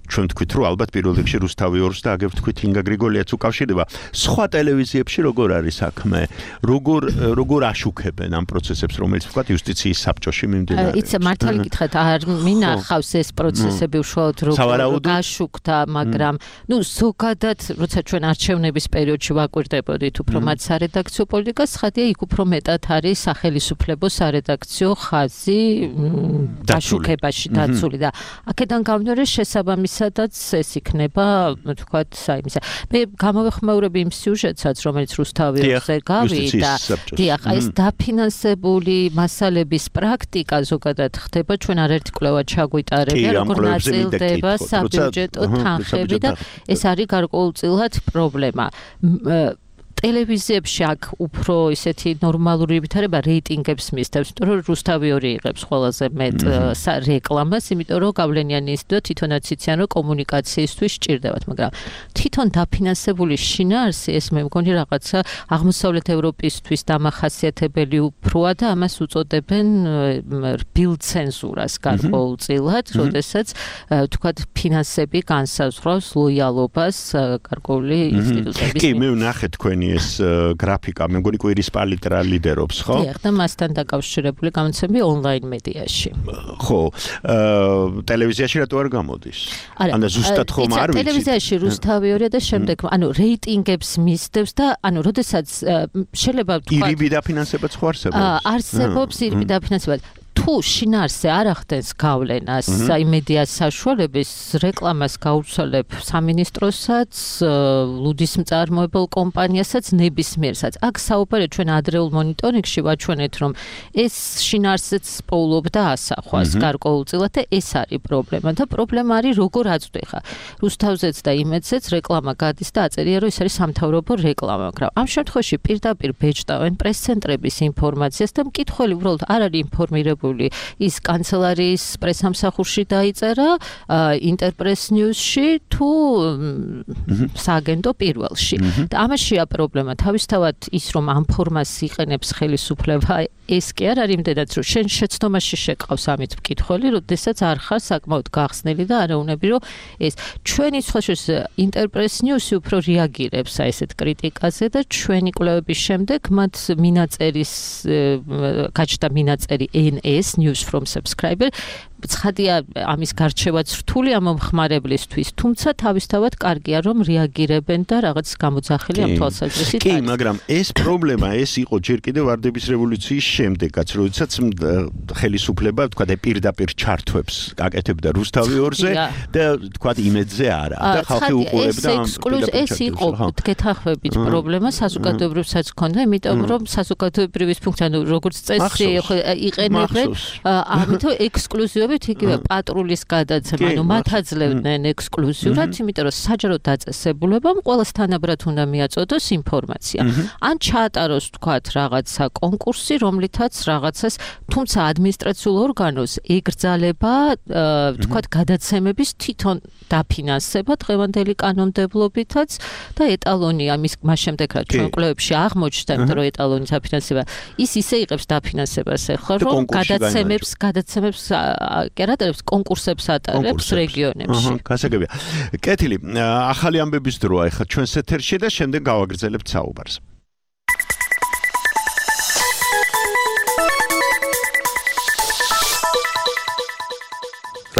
ჩვენ თქვით რომ ალბათ პირველ რიგში რუსთავიორს და აგებ თქვით ინგა გრიგოლიაც უკავშირდება. სხვა ტელევიზიებში როგორ არის საქმე? როგორ აშუქებენ ამ პროცესებს, რომელიც თქვათ იუსტიციის საბჭოში მიმდინარეობს? იცი მართალი გითხრათ, არ მინახავს ეს პროცესები უშუალოდ როგორ გაშუქდა, მაგრამ ზოგადად, როცა ჩვენ არჩევნების პერიოდში ვაკვირდებოდით უფრო მათ სარედაქციო პოლიტიკას, ხადია იქ უფრო მეტად არის სახელმწიფო სარედაქციო ხაზი დაშუქებაში დაცული და აქედან გამომდინარე შესაბამისადაც ეს იქნება, თქვათ, საიმისა. მე გამოვეხმეურები იმ სიუჟეტსაც, რომელიც რუსთავიორზე გავიდა. დიახ, ეს დაფინანსებული მასალების პრაქტიკა ზოგადად ხდება, ჩვენ არაერთი კვლევა ჩაგვიტარებია, როგორ ნაწილდება საბიუჯეტო თანხები და ეს არის გარკვეულწილად პრობლემა. ტელევიზიებში აქ უფრო ისეთი ნორმალური ვითარება რეიტინგებს მისდევს, იმიტომ რომ რუსთავიორი იღებს ყველაზე მეტ რეკლამას, იმიტომ რომ გავლენიანი ინსტიტუტი თვითონაც იციან, რომ კომუნიკაციისთვის სჭირდებათ, მაგრამ თვითონ დაფინანსებული შინაარსი ეს მე მგონი რაღაცა აღმოსავლეთ ევროპისთვის დამახასიათებელი უფროა და ამას უწოდებენ რბილ ცენზურას გარკვეულწილად, როდესაც თქვათ ფინანსები განსაზღვრავს ლოიალობას გარკვეული ინსტიტუტების. კი, მე ვნახე თქვენი ეს გრაფიკა, მე მგონი კვირის პალიტრა ლიდერობს, ხო? დიახ, და მასთან დაკავშირებული გამოცემები ონლაინ მედიაში. ხო, ტელევიზიაში რატო არ გამოდის? ანუ ზუსტად ხომ არ ვიცი. ტელევიზიაში რუსთავიორია და შემდეგ, რეიტინგებს მისდევს და როდესაც შეიძლება თქვა ირიბი დაფინანსებაც ხო არსებობს? არსებობს ირიბი დაფინანსება. თუ შინაარსზე არ ახდენს გავლენას იმედიას საშუალების რეკლამას გაუცვალებ სამინისტროსაც, ლუდის მწარმოებელ კომპანიასაც, ნებისმიერსაც. აქ საუბარია ჩვენ ადრეულ მონიტორინგში ვაჩვენეთ, რომ ეს შინაარსზეც პოულობდა ასახვას გარკვეულწილად და ეს არის პრობლემა და პრობლემა არის როგორ აწვდე ხა. რუსთავზეც და იმედზეც რეკლამა გადის და აწერია, რომ ეს არის სამთავრობო რეკლამა, მაგრამ ამ შემთხვევაში პირდაპირ ბეჭდავენ პრეს-ცენტრების ინფორმაციას და მკითხველი უბრალოდ არ არის ინფორმირებული ის კანცელარიის პრესამსახურში დაიწერა, ინტერპრეს ნიუსში თუ სააგენტო პირველში. და ამაშია პრობლემა. თავისთავად ის რომ ამ ფორმას იყენებს ხელისუფლება, ეს კი არ არის იმდენად, რომ შენ შეცდომაში შეყავს ამით მკითხველი, როდესაც არ ხარ საკმაოდ გახსნილი და არაუნები, რომ ეს ჩვენი სხვაშორის ინტერპრეს ნიუსი უფრო რეაგირებს აი ესეთ კრიტიკაზე და ჩვენი კვლევების შემდეგ მათ მინაწერის გაჩნდა მინაწერი NS News from Subscriber ცხადია ამის გარჩევაც რთული ამ მომხმარებლისთვის, თუმცა თავისთავად კარგია რომ რეაგირებენ და რაღაც გამოძახილი ამ თვალსაზრისით. კი, მაგრამ ეს პრობლემა ეს იყო ჯერ კიდევ ვარდების რევოლუციის შემდეგაც, როდესაც ხელისუფლება თქვა და პირდაპირ ჩართვებს აკეთებდა რუსთავიორზე და თქვა იმედზე არა და ხალხი უყურებდა ამ ეს იყო გეთანხმებით პრობლემა საზოგადოებრივსაც ჰქონდა, იმიტომ რომ საზოგადოებრივის ფუნქცია, როგორც წესი იყენებენ, ამიტომ ექსკლუზიურად მიუხედავად იგივე პატრულის გადაცემა, ანუ მათ აძლევდნენ ექსკლუზიურად, იმიტომ რომ საჯარო დაწესებულებამ ყველას თანაბრად უნდა მიაწოდოს ინფორმაცია. ან ჩაატაროს თქვათ რაღაცა კონკურსი, რომლითაც რაღაცას, თუმცა ადმინისტრაციულ ორგანოს ეკრძალება თქვათ გადაცემების თვითონ დაფინანსება დღევანდელი კანონმდებლობითაც და ეტალონი ამის მას შემდეგ რაც ჩვენ კვლევებში აღმოჩნდა, რომ ეტალონის დაფინანსება ის ისე იღებს დაფინანსებას ახლა რომ გადაცემებს კი არა ატარებს კონკურსებს ატარებს რეგიონებში. გასაგებია. კეთილი, ახალი ამბების დროა ახლა ჩვენს ეთერში და შემდეგ გავაგრძელებთ საუბარს.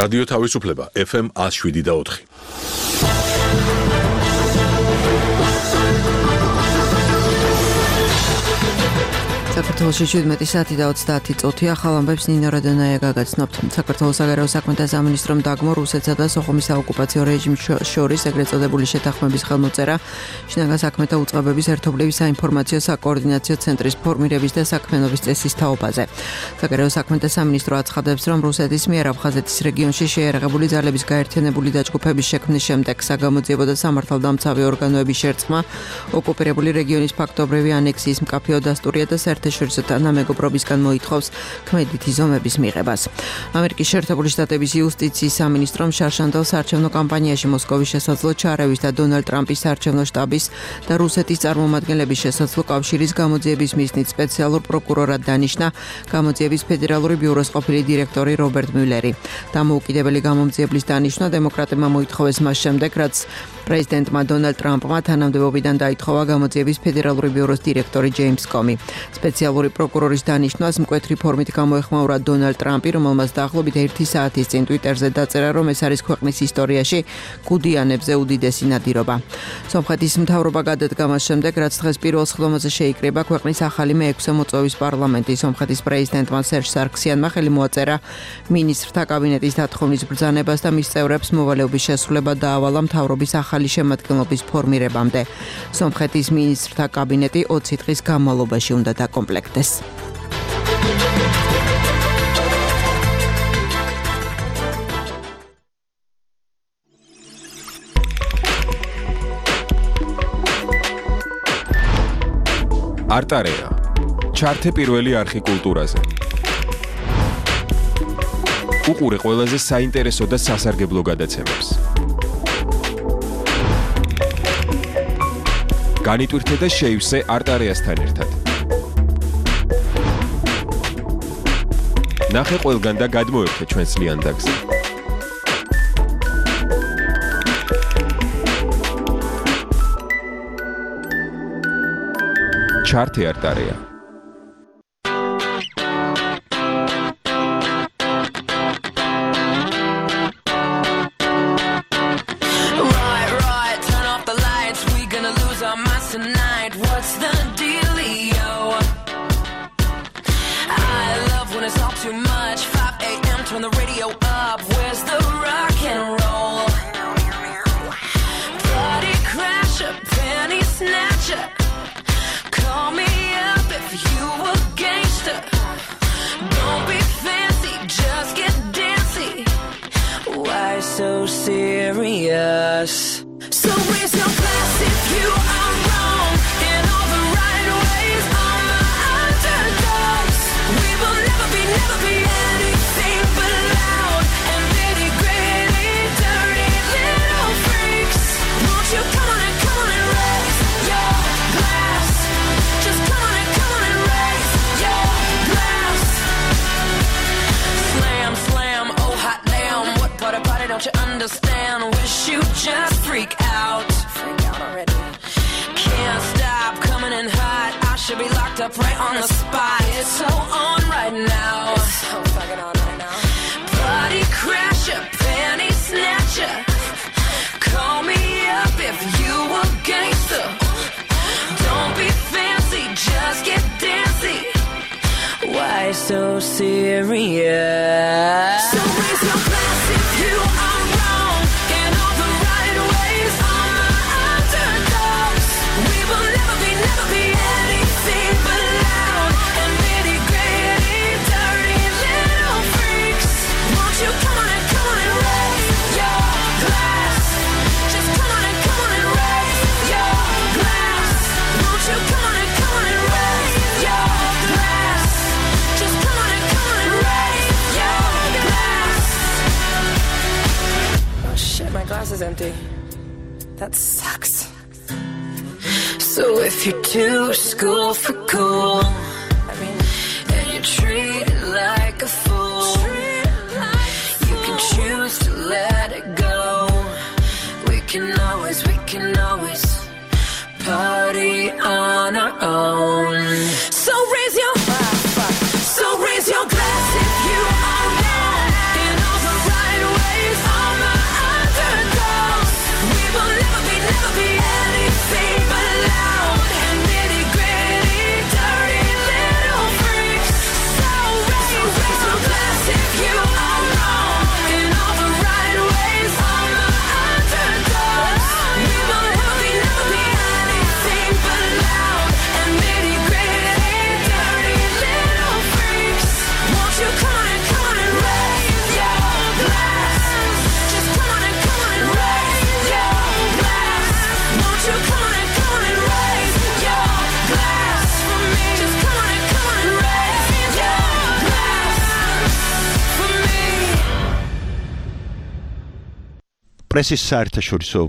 რადიო თავისუფლება FM 107.4. საქართველოში 17 საათი და 30 წუთი ახალ ამბებს ნინო რადონაია გაგაცნობთ. საქართველოს საგარეო საქმეთა სამინისტრომ დაგმო რუსეთსა და სოხუმის საოკუპაციო რეჟიმს შორის ეგრეთ წოდებული შეთანხმების ხელმოწერა შინაგან საქმეთა უწყებების ერთობლივი საინფორმაციო საკოორდინაციო ცენტრის ფორმირების და საქმიანობის წესის თაობაზე. საგარეო საქმეთა სამინისტრო აცხადებს, რომ რუსეთის მიერ აფხაზეთის რეგიონში შეიარაღებული ძალების გაერთიანებული დაჯგუფების შექმნის შემდეგ საგამოძიებო და სამართალდამცავი ორგანოების შერწყმა ოკუპირებული რეგიონის ფაქტობრივი ანექსიის მკაფიო დასტურია და საერთაშორისო თანამეგობრობისგან მოითხოვს ქმედითი ზომების მიღებას. ამერიკის შეერთებული შტატების იუსტიციის სამინისტრომ შარშანდელ საარჩევნო კამპანიაში მოსკოვის შესაძლო ჩარევის და დონალდ ტრამპის საარჩევნო შტაბის და რუსეთის წარმომადგენლების შესაძლო კავშირის გამოძიების მიზნით სპეციალურ პროკურორად დანიშნა გამოძიების ფედერალური ბიუროს ყოფილი დირექტორი რობერტ მიულერი. დამოუკიდებელი გამომძიებლის დანიშვნა დემოკრატებმა მოითხოვეს მას შემდეგ, რაც პრეზიდენტმა დონალდ ტრამპმა თანამდებობიდან დაითხოვა გამოძიების ფედერალური ბიუროს დირექტორი ჯეიმს კომი. სპეციალური პროკურორის დანიშვნას მკვეთრი ფორმით გამოეხმაურა დონალდ ტრამპი, რომელმაც დაახლოებით 1 საათის წინ ტვიტერზე დაწერა, რომ ეს არის ქვეყნის ისტორიაში კუდიანებზე უდიდესი ნადირობა. სომხეთის მთავრობა გადადგა მას შემდეგ, რაც დღეს პირველ სხდომაზე შეიკრიბა ქვეყნის ახალი მე-6 მოწვევის პარლამენტი. სომხეთის პრეზიდენტმა სერჟ სარქსიანმა ხელი მოაწერა მინისტრთა კაბინეტის დათხოვნის ბრძანებას და მის წევრებს მოვალეობის შესრულება დაავალა მთავრობის ახალი შემადგენლობის ფორმირებამდე. სომხეთის მინისტრთა კაბინეტი 20 დღის განმავლობაში უნდა დაკომპლექტდეს. არტარეა. ჩართე პირველი არხი კულტურაზე. უყურე ყველაზე საინტერესო და სასარგებლო გადაცემებს. განიტვირთე და შეივსე არტარეასთან ერთად. ნახე ყველგან და გადმოერთე ჩვენს ლიანდაგზე. ჩართე არტარეა. Won't you was empty. That sucks. So if you're too school for cool, and you treat it like a fool, you can choose to let it go. We can always party on our own. So raise your glass if you are wrong in all the right ways. All the underdogs, we will never be anything but loud and nitty gritty, dirty little freaks. So raise your glass if you are wrong in all the right ways. All the underdogs, we will never be anything but loud and nitty gritty, dirty little freaks. Won't you come on and raise your glass? Just come on and raise your glass. Won't you come on and raise your glass for me? Just come on and raise your glass for me. პრესის საერთაშორისო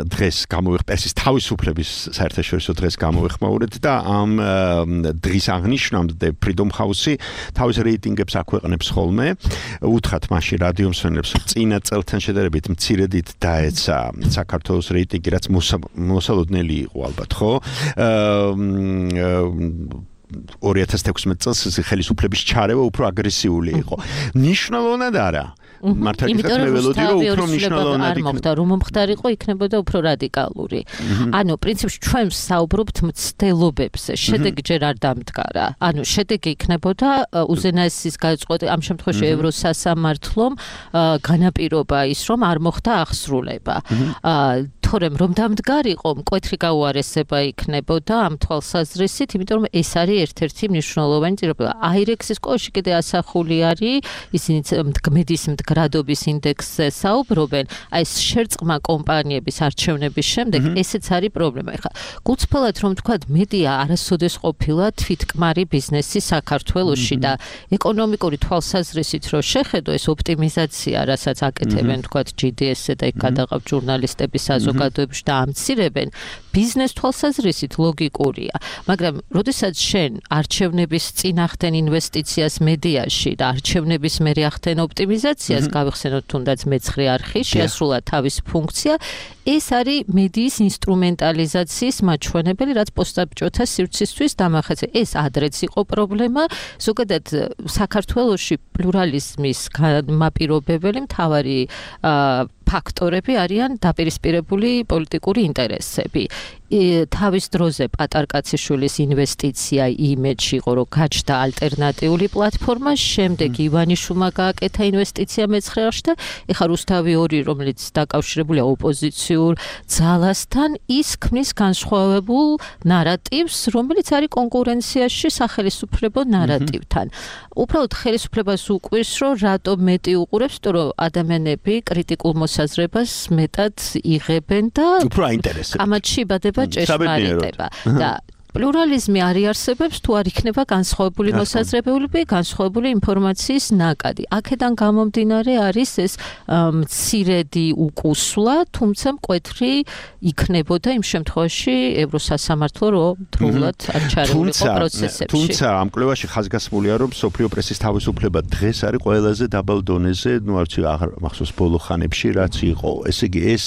დღეს პრესის თავისუფლების საერთაშორისო დღეს გამოვიხმაურეთ და ამ დღის აღნიშვნამდე Freedom House-ი თავის რეიტინგებს აქვეყნებს ხოლმე. უთხრათ მაშინ რადიო მსმენელებს წინა წელთან შედარებით მცირედით დაეცა საქართველოს რეიტინგი, რაც მოსალოდნელი იყო ალბათ, ხო? 2016 წელს ხელისუფლების ჩარევა უფრო აგრესიული იყო. ნიშნულოვნად არა. მართალია მე ველოდი რომ უფრო მნიშვნელოვნად მოხდა რომ მომხდარიყო იქნებოდა უფრო რადიკალური. ანუ პრინციპში ჩვენ საუბრობთ მცდელობებზე, შედეგი ჯერ არ დამდგარა. ანუ შედეგი იქნებოდა უზენაესის გადაწყვეტი ამ შემთხვევაში ევროსასამართლომ განაპირობა ის რომ არ მოხდა აღსრულება. თორემ რომ დამდგარიყო მკვეთრი გაუარესება იქნებოდა ამ თვალსაზრისით, იმიტომ რომ ეს არის ერთ-ერთი მნიშვნელოვანი წიროება. აირექსის კოში კიდე ასახული არის, ისინი მედიის მდგრადობის ინდექსზე საუბრობენ, აი ეს შერწყმა კომპანიების არჩევნების შემდეგ ესეც არის პრობლემა. ეხლა გულწრფელად რომ თქვათ, მედია არასოდეს ყოფილა თვითკმარი ბიზნესი საქართველოში და ეკონომიკური თვალსაზრისით რო შეხედო ეს ოპტიმიზაცია, რასაც აკეთებენ თქვათ GDS-ზე და იქ გადაყავთ ჟურნალისტების საზოგადოებაში და ამცირებენ, ბიზნეს თვალსაზრისით ლოგიკურია. მაგრამ როდესაც შენ არჩევნების წინ ახდენ ინვესტიციას მედიაში და არჩევნების მერე ახდენ ოპტიმიზაციას, გავიხსენოთ თუნდაც მეცხრე არხი, შეასრულა თავის ფუნქცია, ეს არის მედიის ინსტრუმენტალიზაციის მაჩვენებელი, რაც პოსტსაბჭოთა სივრცისთვის დამახასიათებელია. ეს ადრეც იყო პრობლემა, ზოგადად საქართველოში პლურალიზმის მაპირობებელი მთავარი ფაქტორები არიან დაპირისპირებული პოლიტიკური ინტერესები. თავის დროზე პატარკაციშვილის ინვესტიცია იმედში იყო, რომ გაჩნდა ალტერნატიული პლატფორმა, შემდეგ ივანიშვილმა გააკეთა ინვესტიცია მეცხრე არხში და ეხლა რუსთავი 2, რომელიც დაკავშირებულია ოპოზიციურ ძალასთან, ის ქმნის განსხვავებულ ნარატივს, რომელიც არის კონკურენციაში სახელისუფლებო ნარატივთან. უბრალოდ ხელისუფლებას უყვირს, რომ რატომ მეტი უყურებს, იმიტომ რომ ადამიანები კრიტიკულ მოსაზრებას მეტად იღებენ და უფრო აინტერესებთ. კამათში იბადება ჭეშმარიტება და პლურალიზმი არ იარსებებს თუ არ იქნება განსხვავებული მოსაზრებები, განსხვავებული ინფორმაციის ნაკადი. აქედან გამომდინარე არის ეს მცირედი უკუსვლა, თუმცა მკვეთრი იქნებოდა იმ შემთხვევაში ევროსასამართლო რომ დროულად არ ჩაერეულიყო პროცესებში. თუმცა ამ კვლევაში ხაზგასმულია რომ სოფლიო პრესის თავისუფლება დღეს არის ყველაზე დაბალ დონეზე, ნუ არც აღარ მახსოვს ბოლო ხანებში რაც იყო. ესე იგი ეს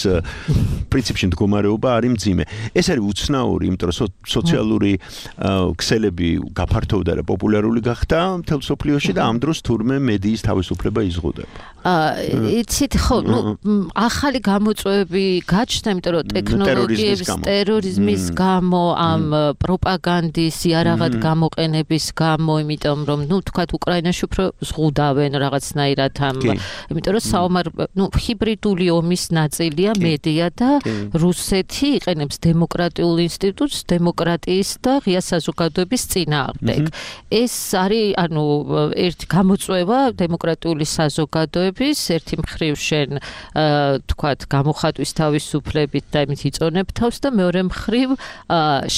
პრინციპში მდგომარეობა არის მძიმე. ეს არის უცნაური, იმიტომ რომ სოციალური ქსელები გაფართოვდა და პოპულარული გახდა მთელ მსოფლიოში და ამ დროს თურმე მედიის თავისუფლება იზღუდება. იცით ხო, ახალი გამოწვევები გაჩნდა, იმიტომ რომ ტექნოლოგიების, ტერორიზმის გამო, ამ პროპაგანდის იარაღად გამოყენების გამო, იმიტომ რომ თქვათ უკრაინაში უფრო ზღუდავენ რაღაცნაირად ამ, იმიტომ რომ ჰიბრიდული ომის ნაწილია მედია და რუსეთი იყენებს დემოკრატიულ ინსტიტუტს დემოკრატიის არის და ღია საზოგადოების წინააღმდეგ. ეს არის ანუ ერთი გამოწვევა დემოკრატიული საზოგადოების, ერთი მხრივ შენ თქვათ გამოხატვის თავისუფლებით და იმით იწონებ თავს და მეორე მხრივ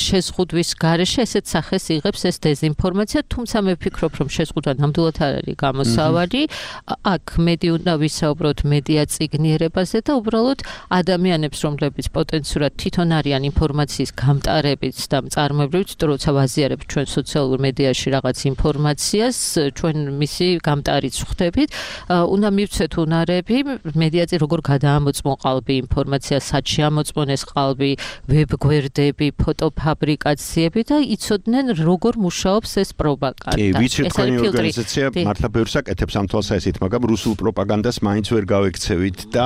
შეზღუდვის გარეშე ესეთ სახეს იღებს ეს დეზინფორმაცია, თუმცა მე ვფიქრობ, რომ შეზღუდვა ნამდვილად არ არის გამოსავალი. აქ მედი უნდა ვისაუბროთ მედია წიგნიერებაზე და უბრალოდ ადამიანებს, რომლებიც პოტენციურად თვითონ არიან ინფორმაციის გამტარებით და მწარმოებლებიც, როცა ვაზიარებთ ჩვენ სოციალურ მედიაში რაღაც ინფორმაციას, ჩვენ მისი გამტარიც ვხდებით, უნდა მივცეთ უნარები, მედიაზე როგორ გადაამოწმონ ყალბი ინფორმაცია, სად შეამოწმონეს ყალბი, ვებგვერდები, ფოტოფაბრიკაციები და იცოდნენ როგორ მუშაობს ეს პროპაგანდა. კი, ვიცი თქვენი ორგანიზაცია მართლა ბევრს აკეთებს ამ თვალსაზრისით, მაგრამ რუსულ პროპაგანდას მაინც ვერ გავექცევით და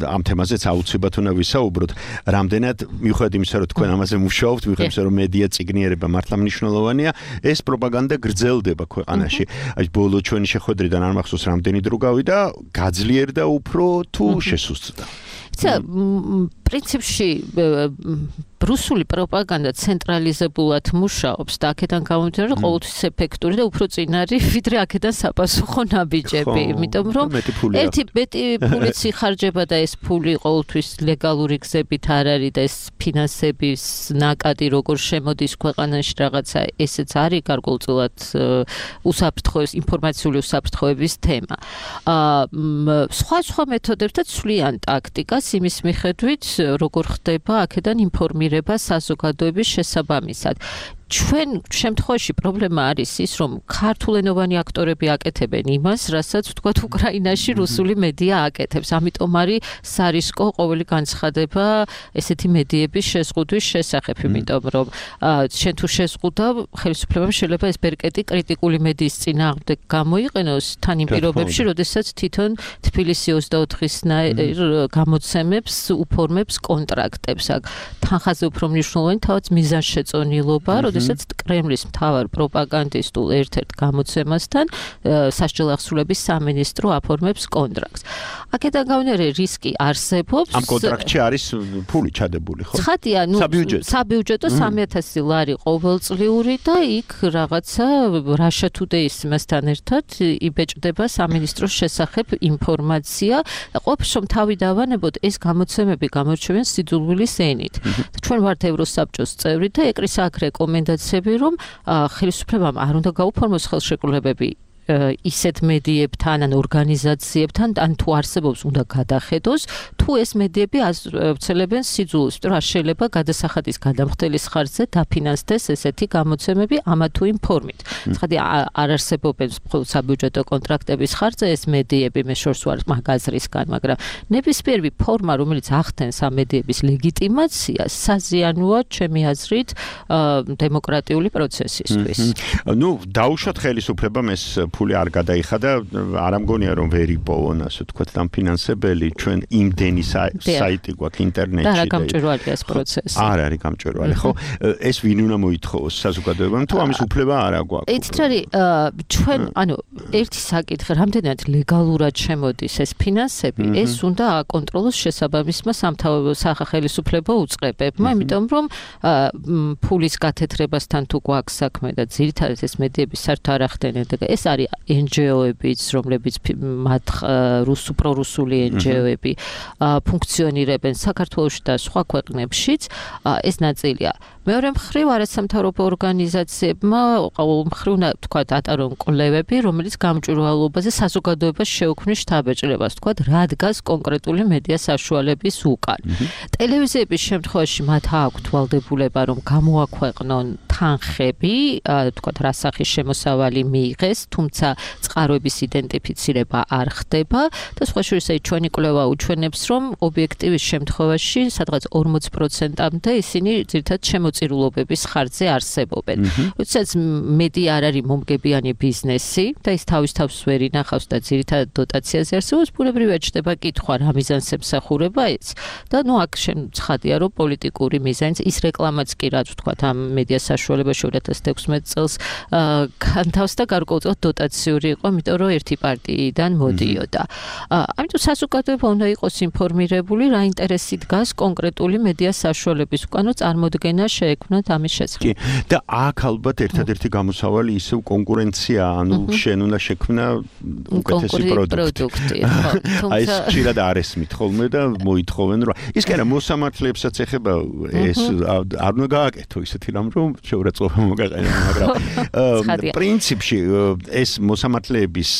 ამ თემაზეც აუცილებლად უნდა ვისაუბროთ. რამდენად მიუხედავად იმისა, რომ თქვენ ამაზე მუშაობთ, მიუხედავად იმისა, რომ მედია წიგნიერება მართლა მნიშვნელოვანია, ეს პროპაგანდა გრძელდება ქვეყანაში. აი ბოლო ჩვენი შეხვედრიდან არ მახსოვს რამდენი დრო გავიდა, გაძლიერდა უფრო თუ შესუსტდა. პრინციპში რუსული პროპაგანდა ცენტრალიზებულად მუშაობს და აქედან გამომდინარე ყოველთვის ეფექტური და უფრო წინ არის ვიდრე აქედან საპასუხო ნაბიჯები, იმიტომ რომ ერთი ფულიც იხარჯება და ეს ფული ყოველთვის ლეგალური გზებით არ არის და ეს ფინანსების ნაკადი როგორ შემოდის ქვეყანაში რაღაცა ესეც არის გარკვეულწილად უსაფრთხოების ინფორმაციული უსაფრთხოების თემა. სხვა მეთოდებთან ცვლიან ტაქტიკას იმის მიხედვით როგორ ხდება აქედან ინფორმირება საზოგადოების შესაბამისად. ჩვენ შემთხვევაში პრობლემა არის ის, რომ ქართულენოვანი აქტორები აკეთებენ იმას, რასაც ვთქვათ უკრაინაში რუსული მედია აკეთებს. ამიტომ არის სარისკო ყოველი განცხადება ესეთი მედიების შეზღუდვის შესახებ, იმიტომ რომ შენ თუ შეზღუდავ, ხელისუფლებამ შეიძლება ეს ბერკეტი კრიტიკული მედიის წინააღმდეგ გამოიყენოს თან იმ პირობებში, როდესაც თვითონ თბილისი 24-ის გამოცემებს უფორმებს კონტრაქტებს. აქ თანხაზე უფრო მნიშვნელოვანი თავად მიზანშეწონილობა, როდესაც კრემლის მთავარ პროპაგანდისტულ ერთ-ერთ გამოცემასთან სასჯელ ახსრულების სამინისტრო აფორმებს კონტრაქტს. აქედან გამომდინარე რისკი არსებობს. ამ კონტრაქტში არის ფული ჩადებული, ხო? ცხადია, საბიუჯეტო 3000 ლარი ყოველწლიური და იქ რაღაცა Russia Today-ისთან ერთად იბეჭდება სამინისტროს შესახებ ინფორმაცია. ყოფს რომ თავი დავანებოთ ეს გამოცემები გამორჩევენ სიძულვილის ენით. ჩვენ ვართ ევროსაბჭოს წევრი და ეკრისა აქ რეკომენდაციები, რომ ხელისუფლებამ არ უნდა გაუფორმოს ხელშეკრულებები ისეთ მედიებთან ან ორგანიზაციებთან, ან თუ არსებობს უნდა გადახედოს, თუ ეს მედიები აცელებენ სიძულვილს, იმიტომ რომ შეიძლება გადასახადის გადამხდელის ხარჯზე დაფინანსდეს ესეთი გამოცემები ამა თუ იმ ფორმით. ცხადია არ არსებობენ საბიუჯეტო კონტრაქტების ხარჯზე ეს მედიები, მე შორს ვარ მაგაზრისგან, მაგრამ ნებისმიერი ფორმა, რომელიც ახდენს ამ მედიების ლეგიტიმაციას, საზიანოა ჩემი აზრით დემოკრატიული პროცესისთვის. ნუ დაუშვათ ხელისუფლებამ ეს ფული არ გადაიხადა, არ ამგონია რომ ვერ იპოვონ, ასე ვთქვათ, დამფინანსებელი, ჩვენ იმდენი საიტი გვაქვს ინტერნეტში. და რა გამჭვირვალეა ეს პროცესი? არ არის გამჭვირვალე, ხო? ეს ვინ უნდა მოითხოვოს საზოგადოებამ, თუ ამის უფლება არ აქვს? იცით რა, ჩვენ, ანუ ერთი საკითხი, რამდენად ლეგალურად შემოდის ეს ფინანსები, ეს უნდა აკონტროლოს შესაბამისმა სახელმწიფო უწყებებმა, იმიტომ რომ ფულის გათეთრებასთან თუ გვაქვს საქმე და ძირითადად ეს მედიები საერთოდ არ ახდენენ და ეს არის NGO-ებიც, რომლებიც მათ პრორუსული NGO-ები ფუნქციონირებენ საქართველოში და სხვა ქვეყნებშიც, ეს ნაწილია. მეორე მხრივ არასამთავრობო ორგანიზაციებმა ყოველ მხრივ უნდა ვთქვათ ატარონ კვლევები, რომელიც გამჭვირვალობაზე საზოგადოებას შეუქმნის შთაბეჭდილებას, ვთქვათ, რა დგას კონკრეტული მედია საშუალების უკან. ტელევიზიების შემთხვევაში მათ აქვთ ვალდებულება, რომ გამოაქვეყნონ თანხები, ვთქვათ, რა სახის შემოსავალი მიიღეს, თუმცა წყაროების იდენტიფიცირება არ ხდება და სხვა შორის ჩვენი კვლევა უჩვენებს, რომ ობიექტივის შემთხვევაში სადღაც 40%-მდე ისინი ძირითადად შემოწირულობების ხარჯზე არსებობენ. როდესაც მედია არ არის მომგებიანი ბიზნესი და ის თავის თავს ვერ ინახავს და ძირითადად დოტაციაზე არსებობს, ბუნებრივად ჩდება კითხვა, რა მიზანს ემსახურება ეს და ნუ აქ ცხადია, რომ პოლიტიკური მიზანიც ის რეკლამაც კი რაც ვთქვათ ამ მედია საშუალებაში 2016 წელს განთავსდა გარკვეულწილად დოტაციური იყო, იმიტომ რომ ერთი პარტიიდან მოდიოდა. ამიტომ საზოგადოება უნდა იყოს ინფორმირებული, რა ინტერესი დგას კონკრეტული მედია საშუალების უკან, წარმოდგენა შეექმნათ ამის შესახებ. და აქ ალბათ ერთადერთი გამოსავალი ისევ კონკურენცია, ანუ შენ უნდა შექმნა უკეთესი პროდუქტი. აი ეს ხშირად არ ესმით ხოლმე და მოითხოვენ რომ ის კი არა მოსამართლეებსაც ეხება ეს არ უნდა გააკეთო ისეთი რამ რომ შეურაცხყოფა მოგაყენა, მაგრამ პრინციპში ეს მოსამართლეების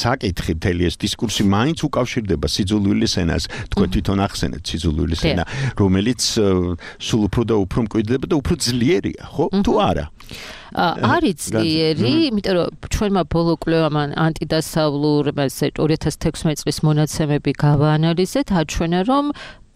საკითხი მთელი ეს დისკურსი მაინც უკავშირდება სიძულვილის ენას, თქვენ თვითონ ახსენეთ სიძულვილის ენა, რომელიც სულ უფრო და უფრო მკვიდრდება და უფრო ძლიერია, ხო? თუ არა? არის ძლიერი, იმიტომ რომ ჩვენმა ბოლო კვლევამ ანტიდასავლურ 2016 წლის მონაცემები გავაანალიზეთ, აჩვენა რომ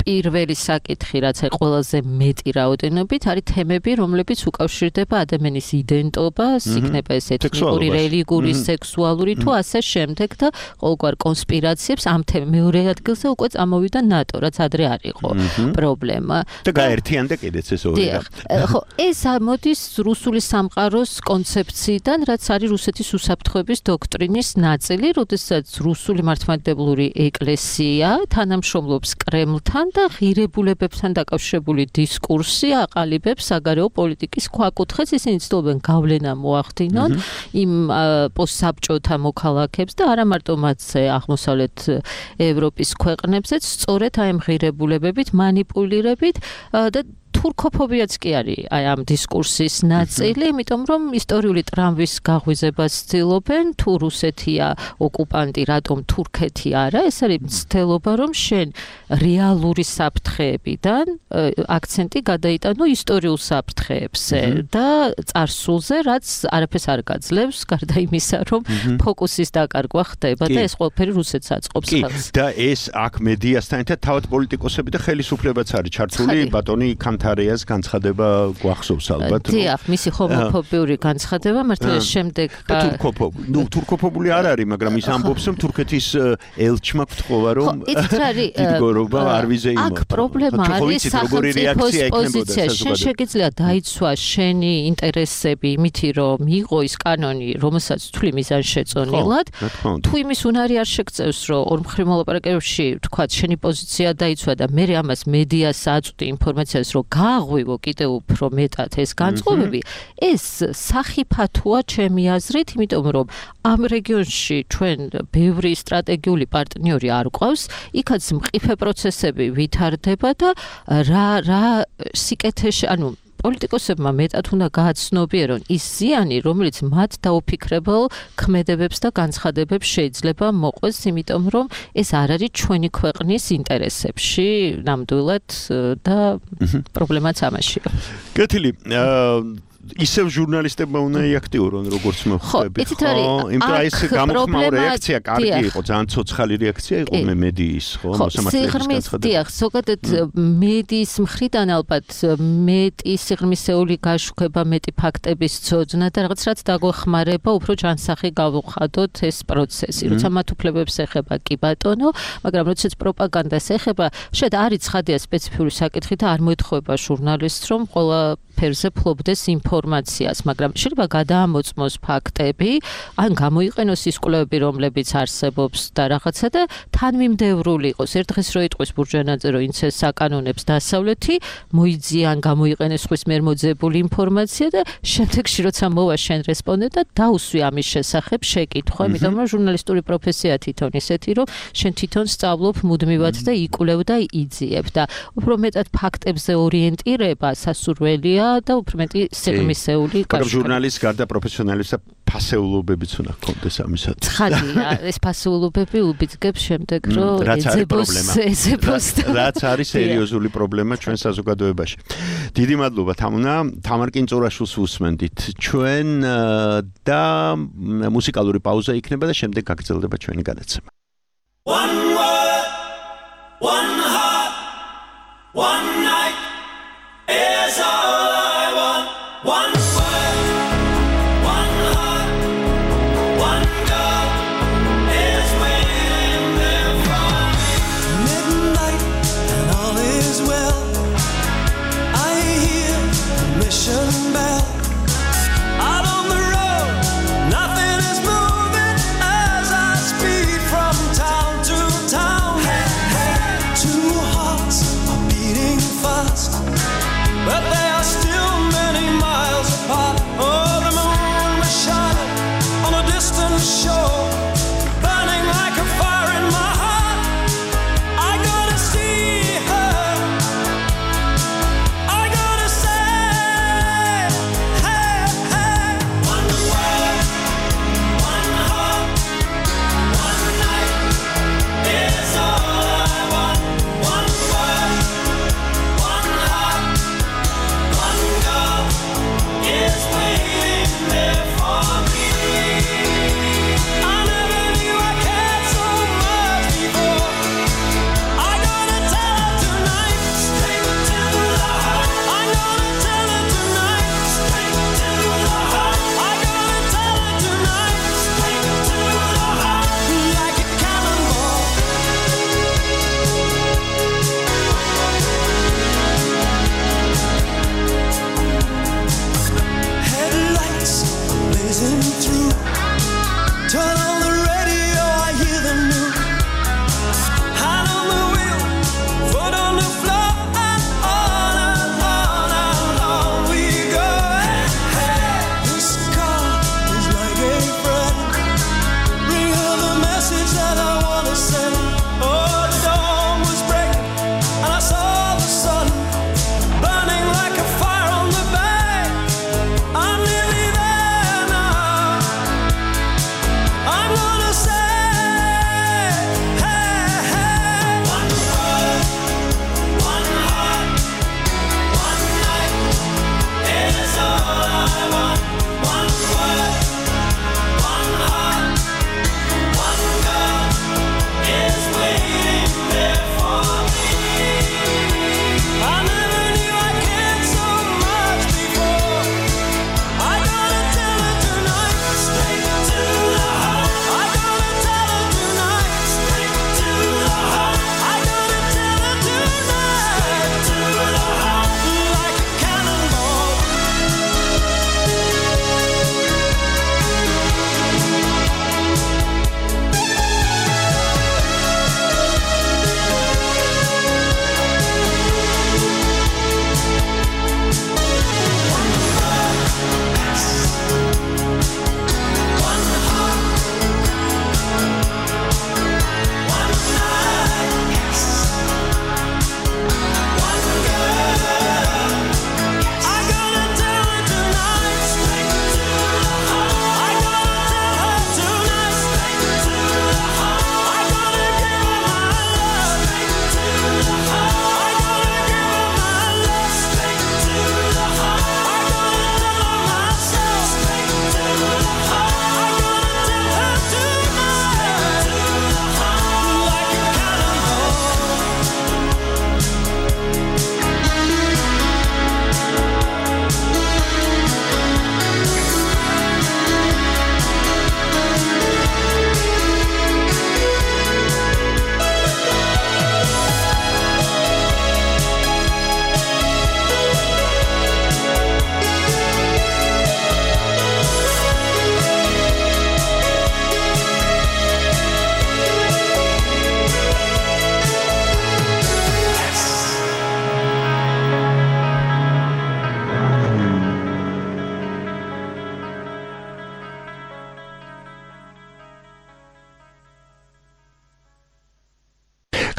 პირველი საკითხი, რაც აი ყველაზე მეტი რაოდენობით არის თემები, რომლებიც უკავშირდება ადამიანის იდენტობას, იქნება ეს ეთნიკური, რელიგიური, სექსუალური თუ ასე შემდეგ და ყოველგვარ კონსპირაციებს ამ მეორე ადგილზე უკვე წამოვიდა ნატო, რაც ადრე არ იყო პრობლემა. და გაერთიანდა კიდეც ეს ორი. ხო, ეს მოდის რუსული სამყაროს კონცეფციიდან, რაც არის რუსეთის უსაფრთხოების დოქტრინის ნაწილი, როდესაც რუსული მართლმადიდებლური ეკლესია თანამშრომლობს კრემლთან და ღირებულებებთან დაკავშირებული დისკურსი აყალიბებს საგარეო პოლიტიკის ქვაკუთხედს, ისინი ცდილობენ გავლენა მოახდინონ იმ პოსტსაბჭოთა მოქალაქეებს და არა მარტო მათზე აღმოსავლეთ ევროპის ქვეყნებზეც, სწორედ აი ამ ღირებულებებით მანიპულირებით და თურქოფობიაც კი არის აი ამ დისკურსის ნაწილი, იმიტომ რომ ისტორიული ტრამვის გაღვიზებას ცდილობენ, თუ რუსეთია ოკუპანტი, რატომ თურქეთი არა, ეს არის მცდელობა, რომ შენ რეალური საფრთხეებიდან აქცენტი გადაიტანო ისტორიულ საფრთხეებზე და წარსულზე, რაც არაფერს არ გაძლევს, გარდა იმისა, რომ ფოკუსის დაკარგვა ხდება და ეს ყველაფერი რუსეთს აწყობს ხელს. და ეს აქ მედიასთან ერთად თავად პოლიტიკოსები და ხელისუფლებაც არის ჩართული, ბატონი კანთარეას განცხადება გვახსოვს ალბათ. დიახ, მისი ჰომოფობიური განცხადება მართლა შემდეგ თურქოფობული არ არის, მაგრამ ის ამბობს, რომ თურქეთის ელჩმა გთხოვა, რომ დიდგორობა არ ვიზეიმოთ. აქ პრობლემა არის სახელმწიფოს პოზიცია. შენ შეგიძლია დაიცვა შენი ინტერესები იმითი, რომ მიიღო ის კანონი, რომელსაც თვლი მიზანშეწონილად, თუ იმის უნარი არ შეგწევს, რომ ორმხრივ მოლაპარაკებებში თქვა შენი პოზიცია დაიცვა და მე ამას მედიას აწვდი ინფორმაციას, რომ გააღვივო კიდევ უფრო მეტად ეს განწყობები, ეს სახიფათოა ჩემი აზრით, იმიტომ რომ ამ რეგიონში ჩვენ ბევრი სტრატეგიული პარტნიორი არ გვყავს, იქაც მყიფე პროცესები ვითარდება და რა სიკეთეში, ანუ პოლიტიკოსებმა მეტად უნდა გააცნობიერონ ის ზიანი, რომელიც მათ დაუფიქრებელ ქმედებებს და განცხადებებს შეიძლება მოყვეს, იმიტომ რომ ეს არ არის ჩვენი ქვეყნის ინტერესებში ნამდვილად და პრობლემაც ამაშია. კეთილი, ისევ ჟურნალისტებმა უნდა იაქტიურონ, როგორც მოხდები. ხო, იმიტომ რომ ეს გამოხმაური რეაქცია კარგი იყო, ძალიან ცოცხალი რეაქცია იყო მედიის, ხო, მოსამართლეების განცხადება. დიახ, ზოგადად მედიის მხრიდან ალბათ მეტი სიღრმისეული გაშუქება, მეტი ფაქტების ცოდნა და რაღაც რაც დაგვეხმარება, უფრო ჯანსაღი გავუხადოთ ეს პროცესი. როცა მათ უფლებებს ეხება კი ბატონო, მაგრამ როდესაც პროპაგანდას ეხება, შედ არის ცხადია სპეციფიური საკითხი და არ მოეთხოვება ჟურნალისტს, რომ ყველა ფერზე ფლობდეს ინფორმაციას, მაგრამ შეიძლება გადაამოწმოს ფაქტები, ან გამოიყენოს ის კვლევები, რომლებიც არსებობს და რაღაცა და თანმიმდევრული იყოს. ერთ დღეს რო იტყვის ბურჯანაძე, რომ ინცეს საკანონებს დასავლეთი, მოიძიან გამოიყენეს ხვის მიერ მოძებული ინფორმაცია და შემდეგში როცა მოვა შენ რესპონდენტ და დაუსვი ამის შესახებ შეკითხვა, იმიტომ რომ ჟურნალისტური პროფესია თვითონ ისეთი, რომ შენ თვითონ სწავლობ მუდმივად და იკვლევ და იძიებ და უფრო მეტად ფაქტებზე ორიენტირება სასურველია და უფრო მეტი სიღრმისეული კავშირი. მაგრამ ჟურნალისტს გარდა პროფესიონალისა ფასეულობებიც უნდა ჰქონდეს ამისათვის. ცხადია, ეს ფასეულობები უბიძგებს შემდეგ, რომ ეძებოს რაც არის სერიოზული პრობლემა ჩვენ საზოგადოებაში. დიდი მადლობა თამუნა, თამარ კინწურაშვილს უსმენდით. ჩვენ და მუსიკალური პაუზა იქნება და შემდეგ გაგრძელდება ჩვენი გადაცემა. One word, one heart, one night is all I want. One word, one heart, one girl is waiting there for me. Midnight and all is well. I hear a mission bell.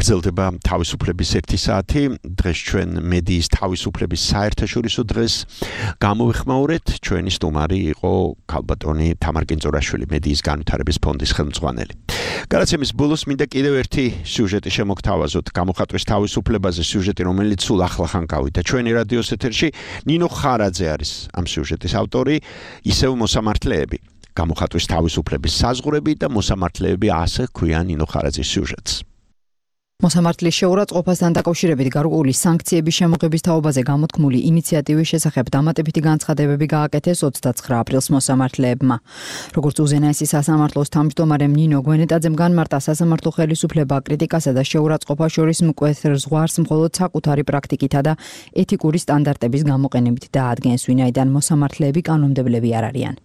გრძელდება თავისუფლების 1 საათი. დღეს ჩვენ მედიის თავისუფლების საერთაშორისო დღეს გამოვიხმაურეთ. ჩვენი სტუმარი იყო ქალბატონი თამარ კინწორაშვილი, მედიის განვითარების ფონდის ხელმძღვანელი. გადაცემის ბოლოს მინდა კიდევ ერთი სიუჟეტი შემოგთავაზოთ. გამოხატვის თავისუფლებაზე სიუჟეტი, რომელიც სულ ახლახან გავიდა ჩვენი რადიოს ეთერში. ნინო ხარაძე არის ამ სიუჟეტის ავტორი, ისევ მოსამართლეები. გამოხატვის თავისუფლების საზღვრები და მოსამართლეები, ასე ქვია ნინო ხარაძის სიუჟეტს. მოსამართლის შეურაცხყოფასთან დაკავშირებით გარკვეული სანქციების შემოღების თაობაზე გამოთქმული ინიციატივის შესახებ დამატებითი განცხადებები გააკეთეს 29 აპრილს მოსამართლეებმა. როგორც უზენაესი სასამართლოს თავმჯდომარემ ნინო გვენეტაძემ განმარტა, სასამართლო ხელისუფლება კრიტიკასა და შეურაცხყოფას შორის მკვეთრ ზღვარს მხოლოდ საკუთარი პრაქტიკითა და ეთიკური სტანდარტების გამოყენებით დაადგენს, ვინაიდან მოსამართლეები კანონმდებლები არ არიან.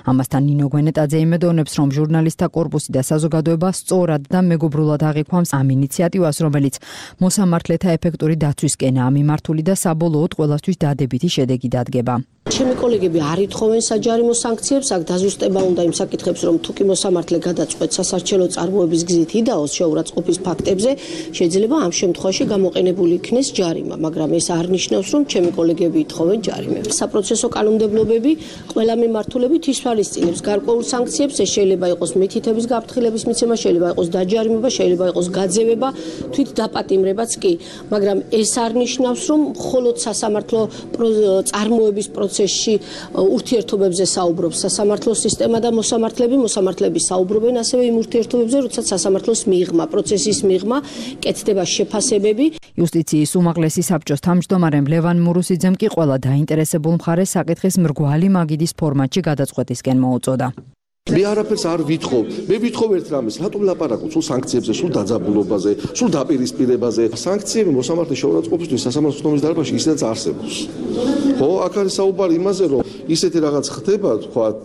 ამასთან ნინო გვენეტაძე იმედოვნებს, რომ ჟურნალისტთა კორპუსი და საზოგადოება სწორად და მეგობრულად აღიქვამს ამ ინიციატივას, რომელიც მოსამართლეთა ეფექტური დაცვისკენაა მიმართული და საბოლოოდ ყველასთვის დადებითი შედეგი დადგება. ჩემი კოლეგები არ ითხოვენ საჯარიმო სანქციებს, აქ დაზუსტება უნდა იმ საკითხებს, რომ თუ კი მოსამართლე გადაწყვეტს სასარჩელო წარმოების გზით იდაოს შეურაცხყოფის ფაქტებზე, შეიძლება ამ შემთხვევაში გამოყენებული იქნეს ჯარიმა, მაგრამ ეს არ ნიშნავს, რომ ჩემი კოლეგები ითხოვენ ჯარიმებს. საპროცესო კანონმდებლობები ყველა მიმართულებით ისვალისწინებს გარკვეულ სანქციებს, ეს შეიძლება იყოს მითითების გაფრთხილების მიცემა, შეიძლება იყოს დაჯარიმება, შეიძლება იყოს გაძევება, თვით დაპატიმრებაც კი, მაგრამ ეს არ ნიშნავს, რომ მხოლოდ სასამართლო წარმოების პროცესში ურთიერთობებზე საუბრობს სასამართლო სისტემა და მოსამართლეები საუბრობენ ასევე იმ ურთიერთობებზე, როდესაც სასამართლოს მიღმა, პროცესის მიღმა კეთდება შეფასებები. იუსტიციის უმაღლესი საბჭოს თავმჯდომარემ ლევან მურუსიძემ კი ყველა დაინტერესებულ მხარეს საკითხის მრგვალი მაგიდის ფორმატში გადაწყვეტისკენ მოუწოდა. მე არაფერს არ ვითხოვ. მე ვითხოვ ერთ რამეს, რატომ ლაპარაკობ სულ სანქციებზე, სულ დაძაბულობაზე, სულ დაპირისპირებაზე. სანქციები მოსამართლის შეურაცხყოფისთვის სასამართლოს ნორმის დარბაზში ისედაც არსებობს. ხო, აქ არის საუბარი იმაზე, რომ ისეთი რაღაც ხდება, თქვათ,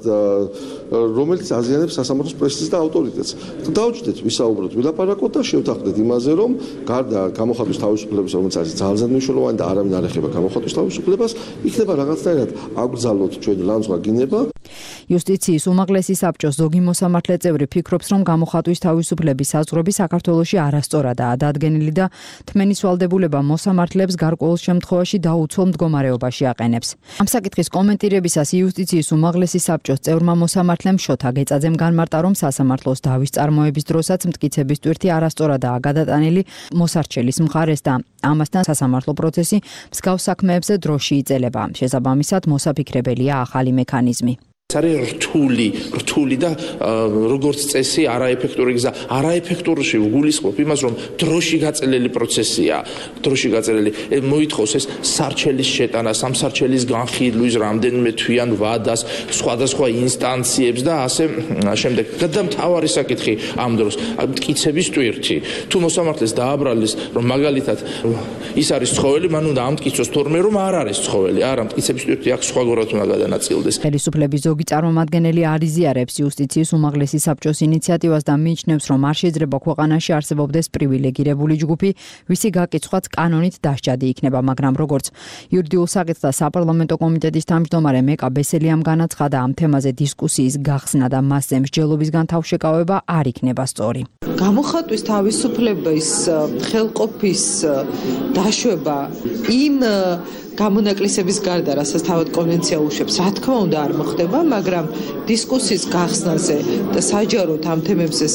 რომელიც აზიანებს სასამართლოს პრესტიჟს და ავტორიტეტს. დავჭდეთ, ვისაუბროთ, ვილაპარაკოთ და შევთანხმდეთ იმაზე, რომ გარდა გამოხატვის თავისუფლების, რომელიც არის ძალიან მნიშვნელოვანი და არავინ არ ეხება გამოხატვის თავისუფლებას, იქნება რაღაცნაირად აკრძალოთ ჩვენი ლანძღვა გინება. იუსტიციის უმაღლესი საბჭოს ზოგი მოსამართლე წევრი ფიქრობს, რომ გამოხატვის თავისუფლების საზღვრები საქართველოში არასწორადაა დადგენილი და თმენის ვალდებულება მოსამართლეებს გარკვეულ შემთხვევაში დაუცველ მდგომარეობაში აყენებს. ამ საკითხის კომენტირებისას იუსტიციის უმაღლესი საბჭოს წევრმა მოსამართლემ შოთა გეწაძემ განმარტა, რომ სასამართლოს დავის წარმოების დროსაც მტკიცების ტვირთი არასწორადაა გადატანილი მოსარჩელის მხარეს და ამასთან სასამართლო პროცესი მსგავს საქმეებზე დროში იწელება. შესაბამისად, მოსაფიქრებელია ახალი მექანიზმი. არის რთული და როგორც წესი არაეფექტური გზა. არაეფექტურში ვგულისხმობ იმას, რომ დროში გაწელილი პროცესია, მოითხოვს ეს სარჩელის შეტანა, სამსარჩელის განხილვის, რამდენიმე თვიან ვადას, სხვადასხვა ინსტანციებს და ასე შემდეგ. და მთავარი საკითხი ამ დროს მტკიცების ტვირთი. თუ მოსამართლეს დააბრალეს, რომ მაგალითად ის არის ცხოველი, მან უნდა ამტკიცოს თორმე რომ არ არის ცხოველი. არა, მტკიცების ტვირთი აქ სხვაგორად უნდა გადანაწილდეს. ხელისუფლების ზოგი წარმომადგენელი არ იზიარებს იუსტიციის უმაღლესი საბჭოს ინიციატივას და მიიჩნევს, რომ არ შეიძლება ქვეყანაში არსებობდეს პრივილეგირებული ჯგუფი, ვისი გაკიცხვაც კანონით დასჯადი იქნება, მაგრამ როგორც იურიდიულ საკითხთა საპარლამენტო კომიტეტის თავმჯდომარე მეკა ბესელიამ განაცხადა, ამ თემაზე დისკუსიის გახსნა და მასზე მსჯელობისგან თავშეკავება არ იქნება სწორი. გამოხატვის თავისუფლების ხელყოფის დაშვება იმ გამონაკლისების გარდა, რასაც თავად კონვენცია უშვებს, რა თქმა უნდა არ მოხდება, მაგრამ დისკუსიის გახსნაზე და საჯაროდ ამ თემებზე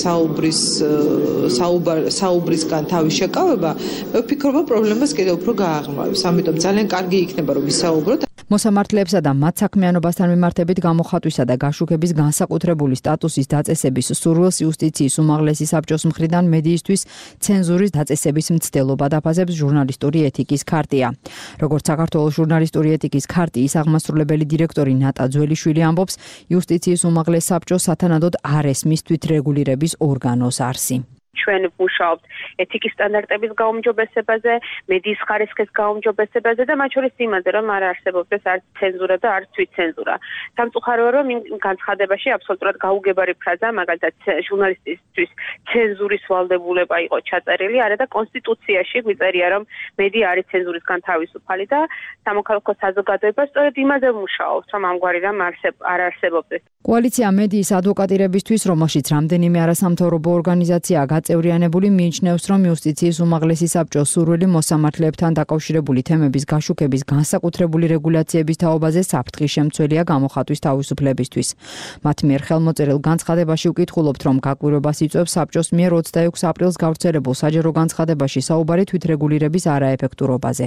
საუბრისგან თავის შეკავება, მე ვფიქრობ, პრობლემას კიდევ უფრო გააღრმავებს. ამიტომ ძალიან კარგი იქნება, რომ ვისაუბროთ. მოსამართლეებსა და მათ საქმიანობასთან მიმართებით გამოხატვისა და გაშუქების განსაკუთრებული სტატუსის დაწესების სურვილს იუსტიციის უმაღლესი საბჭოს მხრიდან მედიისთვის ცენზურის დაწესების მცდელობა დაფასებს ჟურნალისტური ეთიკის ქარტია. როგორც საქართველოს ჟურნალისტური ეთიკის ქარტიის აღმასრულებელი დირექტორი ნატა ძველიშვილი ამბობს, იუსტიციის უმაღლეს საბჭოს სათანადოდ არ ესმის თვითრეგულირების ორგანოს არსი. ჩვენ ვმუშაობთ ეთიკის სტანდარტების გაუმჯობესებაზე, მედიის ხარისხის გაუმჯობესებაზე და მათ შორის იმაზე, რომ არ არსებობდეს არც ცენზურა და არც თვითცენზურა. სამწუხაროა, რომ იმ განცხადებაში აბსოლუტურად გაუგებარი ფრაზა, მაგალითად ჟურნალისტისთვის ცენზურის ვალდებულება იყო ჩაწერილი, არა და კონსტიტუციაში გვიწერია, რომ მედია არის ცენზურისგან თავისუფალი და სამოქალაქო საზოგადოება სწორედ იმაზე ვმუშაობთ, რომ ამგვარი რამ არ არსებობდეს. კოალიცია მედიის ადვოკატირებისთვის, რომელშიც რამდენიმე არასამთავრობო ორგანიზაცია გაწევრიანებული მიიჩნევს, რომ იუსტიციის უმაღლესი საბჭოს სურვილი მოსამართლეებთან დაკავშირებული თემების გაშუქების განსაკუთრებული რეგულაციების თაობაზე საფრთხის შემცველია გამოხატვის თავისუფლებისთვის. მათ მიერ ხელმოწერილ განცხადებაში უკითხულობთ, რომ გაკვირვებას იწვევს საბჭოს მიერ 26 აპრილს გავრცელებულ საჯარო განცხადებაში საუბარი თვითრეგულირების არაეფექტურობაზე.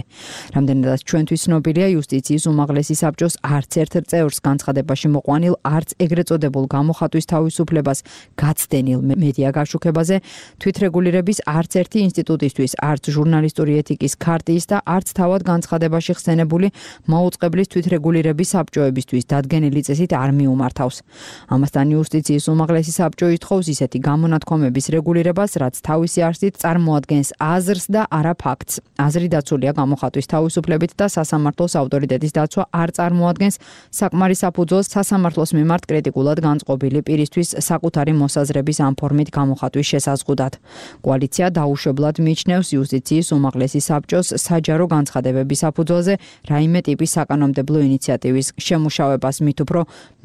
რამდენადაც ჩვენთვის ცნობილია, იუსტიციის უმაღლესი საბჭოს არც ერთ წევრს განცხადებაში მოყვანილ, არც ეგრეთ წოდებულ გამოხატვის თავისუფლებას გაცდენილ მედია გაშუქებაზე თვითრეგულირების არც ერთი ინსტიტუტისთვის, არც ჟურნალისტური ეთიკის ქარტიის და არც თავად განცხადებაში ხსენებული მაუწყებლის თვითრეგულირების საბჭოებისთვის დადგენილი წესით არ მიუმართავს. ამასთან იუსტიციის უმაღლესი საბჭო ითხოვს ისეთი გამონათქვამების რეგულირებას, რაც თავისი არსით წარმოადგენს აზრს და არა ფაქტს. აზრი დაცულია გამოხატვის თავისუფლებით და სასამართლოს ავტორიტეტის დაცვა არ წარმოადგენს საკმარის საფუძველს სასამართლოს მიმართ კრიტიკულად განწყობილი პირისთვის საკუთარი მოსაზრების ამ ფორმით გამოხატვის შესაზღუდად. კოალიცია დაუშვებლად მიიჩნევს იუსტიციის უმაღლესი საბჭოს საჯარო განცხადებების საფუძველზე რაიმე ტიპის საკანონმდებლო ინიციატივის შემუშავებას, მით უფრო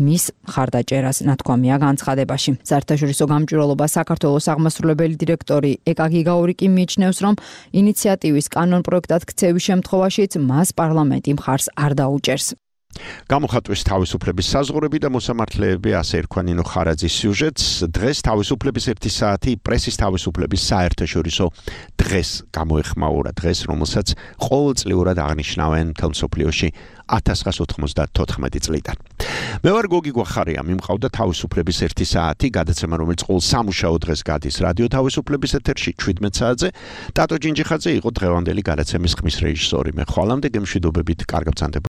მის ხარდაჭერას ნათქვამია განცხადებაში. საერთაშორისო გამჭვირვალობა საქართველოს აღმასრულებელი დირექტორი ეკა გიგაური კი მიიჩნევს, რომ ინიციატივის კანონპროექტად ქცევის შემთხვევაშიც მას პარლამენტი მხარს არ დაუჭერს. გამოხატვის თავისუფლების საზღვრები და მოსამართლეები, ასე ერქვა ნინო ხარაძის სიუჟეტს. დღეს თავისუფლების 1 საათი პრესის თავისუფლების საერთაშორისო დღეს გამოეხმაურა, დღეს რომელსაც ყოველწლიურად აღნიშნავენ მთელ მსოფლიოში 1994 წლიდან. მე ვარ გოგი გვახარია, მიმყავდა თავისუფლების 1 საათი, გადაცემა რომელიც ყოველ სამუშაო დღეს გადის რადიო თავისუფლების ეთერში 17 საათზე. ტატო ჯინჯიხაძე იყო დღევანდელი გადაცემის ხმის რეჟისორი. მე ხვალამდე გემშვიდობებით, კარგ ბრძანებას.